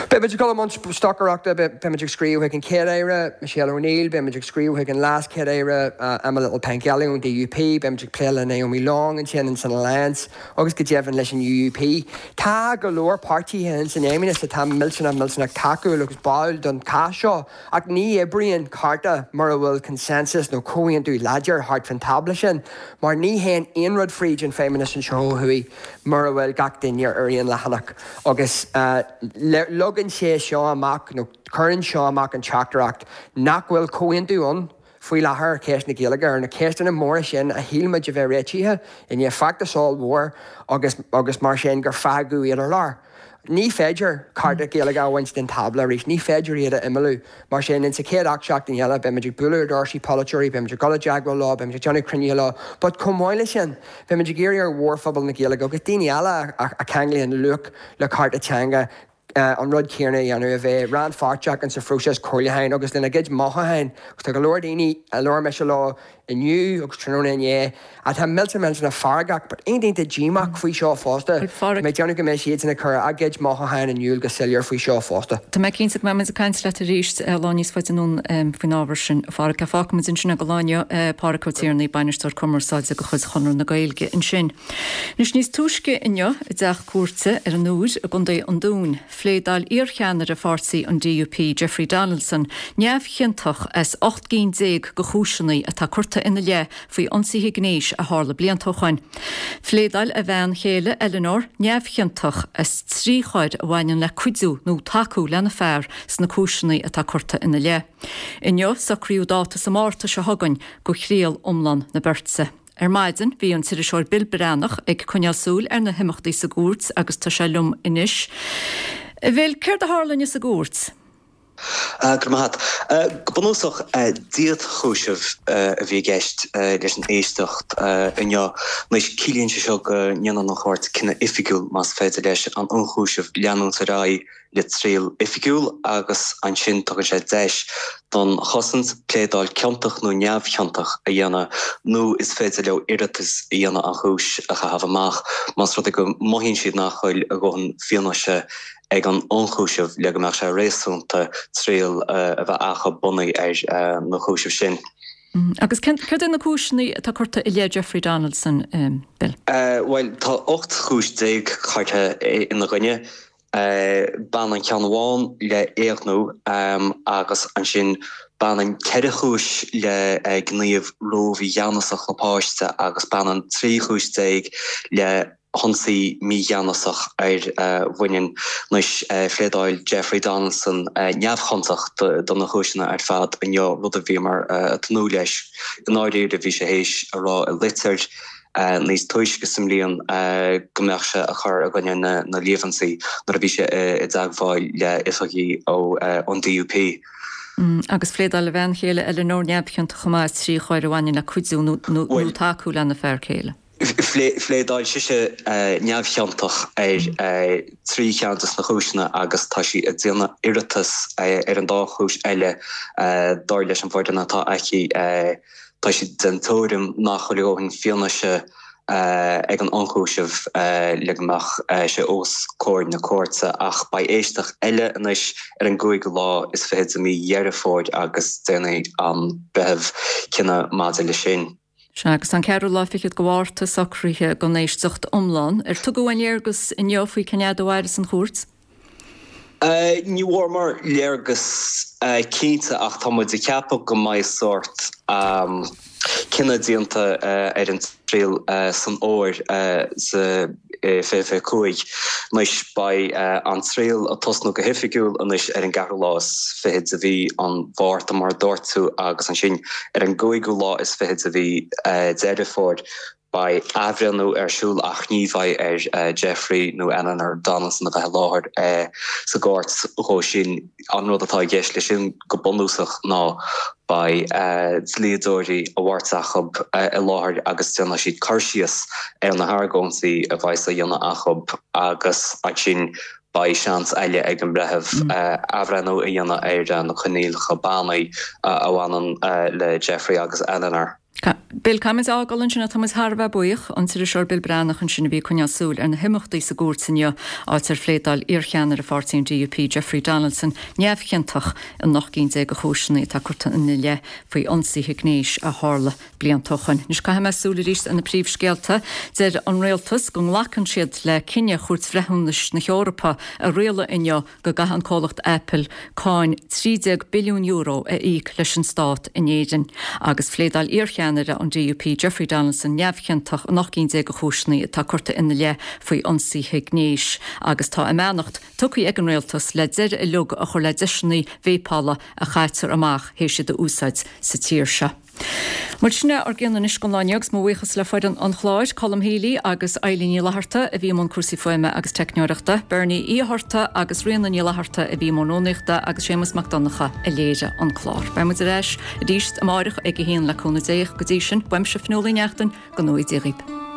Beimid ag dul i mbun stocaireachta, beimid ag scríobh chuig an Chéad-Aire, Michelle O'Neill, beimid ag scríobh chuig an Leas-Chéad-Aire, Emma Little-Pengelly ón DUP, beimid ag plé le Naomi Long ansin ins an Alliance agus go deimhin leis an UUP. Tá go leor páirtithe ins an Fheidhmeannas atá millteanach millteanach tacúil agus báúil don chás seo ach ní oibríonn cárta mura bhfuil consensus nó comhaontú láidir thart fán tábla sin mar ní théann aon rud fríd an Feidhmeannas anseo ó thuaidh mura bhfuil gach duine ar aon leathanach. Agus leagann sé seo amach, nó cuireann seo amach an teachtaireacht nach bhfuil comhaontú ann faoi láthair ar cheist na Gaeilge, ar na ceisteanna móra sin a shíl muid a bheith réitithe i ndiaidh feachtas ollmhór agus agus mar sin gur fágadh iad ar lár. Ní féidir cárta Gaeilge a bhaint den tábla arís, ní féidir iad a imeallú. Mar sin, insa chéad 8 seachtain eile, beimid ag bualadh ar dhoirsí polaiteoirí, beimid ag dul i dteagmháil leo, beimid ag déanamh cruinnithe leo, but chomh maith leis sin, beimid ag iarraidh ar mhórphobal na Gaeilge agus daoine eile a cheanglaíonn luach le cearta teanga an rud céanna a dhéanamh, a bheith rannpháirteach insa phróiseas comhairliúcháin agus lena gcuid mothúcháin. Agus tá go leor daoine a labhair mise leo inniu agus tráthnóna inné atá millteanach millteanach feargach but iontach iontach díomách faoi seo fosta. Tá mé ag déanamh go mbeidh siadsan ag cur a gcuid mothúcháin in iúl go soiléir faoi seo fosta. Tá mé cinnte go mbeidh muid ag caint leat arís lá níos faide anonn faoin ábhar sin, a Pháraic. Fágfaidh muid ansin é don lá inniu, Páraic Ó Tiarnaigh, Bainisteoir Cumarsáide de chuid Chonradh na Gaeilge ansin. Anois níos túisce inniu i dteach cúirte ar an Iúr i gContae an Dúin, Phléadáil iarcheannaire pháirtí an DUP, Jeffrey Donaldson, neamhchiontach as 18 gcinn de chúiseanna atá curtha ina leith faoi ionsaithe gnéis a tharla blianta ó shoin. Phléadáil a bhean chéile, Eleanor, neamhchiontach as 3 choir a bhaineann le cuidiú nó tacú lena fear sna cúiseanna atá curtha ina leith. Inniu, socraíodh dáta sa Márta seo chugainn do thriail iomlán na beirte. Ar maidin bhí an t-iriseoir Bill Breathnach ag coinneáil súil ar na himeachtaí sa gcúirt agus tá sé liom anois. A Bhill, céard a tharla inniu sa gcúirt? Go raibh maith agat. Go bunúsach, díotchúiseamh a bhí i gceist leis an éisteacht inniu. Anois, ciallaíonn sé seo go ndéanann an chúirt cinneadh oifigiúil, más féidir leis an ionchúiseamh leanúint ar aghaidh le triail oifigiúil agus ansin tugann sé deis don chosaint pléadáil ciontach nó neamhchiontach a dhéanamh nó is féidir leo iarratas a dhéanamh an chúis a chaitheamh amach más rud é go mothaíonn siad nach bhfuil a dhóthain fianaise ag an ionchúiseamh le go mbeadh sé réasúnta triail a bheith acu bunaithe ar na cúisimh sin. Agus céard é na cúiseanna atá curtha i leith Jeffrey Donaldson, Bill? Bhuel, tá 18 chúis curtha ina gcoinne. Baineann ceann amháin le éigniú agus ansin baineann 14 chúis le gníomh rómhígheanasach le páiste agus baineann 13 chúis le hionsaí mígheanasach ar bhaineann. Anois, phléadáil Jeffrey Donaldson neamhchiontach do na cúiseanna ar fad inniu, rud a bhíomar ag tnúth leis. I ndáiríre, bhí sé théis a rá i litir níos túisce sa mbliain go mbeadh sé ag cur i gcoinne na líomhaintí nuair a bhí sé i dteagmháil le oifigigh ón DUP. Agus phléadáil a bhean chéile Eleanor neamhchiontach chomh maith as 3 choir a bhaineann le cuidiú nó tacú lena fear céile. Phléadáil sise neamhchiontach ar 3 cheann de na cúiseanna agus tá sí ag déanamh iarratas ar an dá chúis eile, dar leis an bhfoireann atá aici. Tá sí den tuairim nach bhfuil a dhóthain fianaise ag an ionchúiseamh le go mbeadh sé os comhair na cúirte ach beidh éisteacht eile anois ar an gcúigiú lá is fichead de mhí Dheireadh Fómhair agus déanfaidh an breitheamh cinneadh maidir leis sin. Sea, agus tá an ceathrú lá fichead de Mhárta socraithe don éisteacht iomlán. Ar tugadh aon léargas inniu faoi cén fhad a mhairfeas an chúirt? Ní bhfuaireamar léargas cinnte ach tá muid ag ceapadh go mbeidh sórt cinneadh déanta ar an triail san fhómhar sa 2025. Anois, beidh an triail ag tosnú go hoifigiúil anois ar an gceathrú lá is fichead de mhí an Mhárta, mar a dúirt tú, agus ansin ar an gcúigiú lá is fichead de mhí Deireadh Fómhair, beidh athbhreithniú ar siúl ach ní bheidh ar Jeffrey nó Eleanor Donaldson a bheith i láthair sa gcúirt dhó sin. An rud atá i gceist leis sin go bunúsach ná beidh dlíodóirí a bheirt acu i láthair agus déanfaidh siad cur síos ar na hargóintí a bheas á dhéanamh acu agus ansin beidh seans eile ag an mbreitheamh athbhreithniú a dhéanamh ar na coinníollacha bannaí a bhaineann le Jeffrey agus Eleanor. Bill, caithfidh muid a fhágáil ansin ach tá muid thar a bheith buíoch. An t-iriseoir Bill Breathnach ansin a bhí ag coinneáil súil ar na himeachtaí sa gcúirt inniu, áit ar phléadáil iarcheannaire pháirtí an DUP, Jeffrey Donaldson, neamhchiontach in 18 gcinn de chúiseanna atá curtha ina leith faoi ionsaithe gnéis a tharla blianta ó shoin. Anois caithfidh mé súil arís ar na príomhscéalta. Deir an rialtas go nglacann siad le cinneadh Chúirt Bhreithiúnais na hEorpa a rialaigh inniu go gcaithfidh an comhlacht Apple cáin €13 billiún a íoc leis an stát in Éirinn. Agus phléadáil iarcheannaire an DUP Jeffrey Donaldson neamhchiontach in 18 gcinn de chúiseanna atá curtha ina leith faoi ionsaithe gnéis. Agus tá a mbeannacht tugtha ag an rialtas le deireadh uilig a chur le deiseanna véipeála a chaitear amach théis iad a úsáid sa tír seo. Bhuel, sin é ár gcion anois don lá inniu agus mo bhuíochas le foireann an chláir, Colm Healy agus Eilín Ní Fhlatharta a bhí i mbun cúrsaí fuaime agus teicneoireachta, Bernie Uí Fhatharta agus Ríona Ní Fhlatharta a bhí i mbun rúnaíochta agus Séamus Mac Donncha a léirigh an clár. Beidh muid ar ais arís amáireach ag a haon le cúnamh Dé. Go dtí sin, uaimse Fionnuala Ní Neachtain, go ngnóthaí Dia dhaoibh.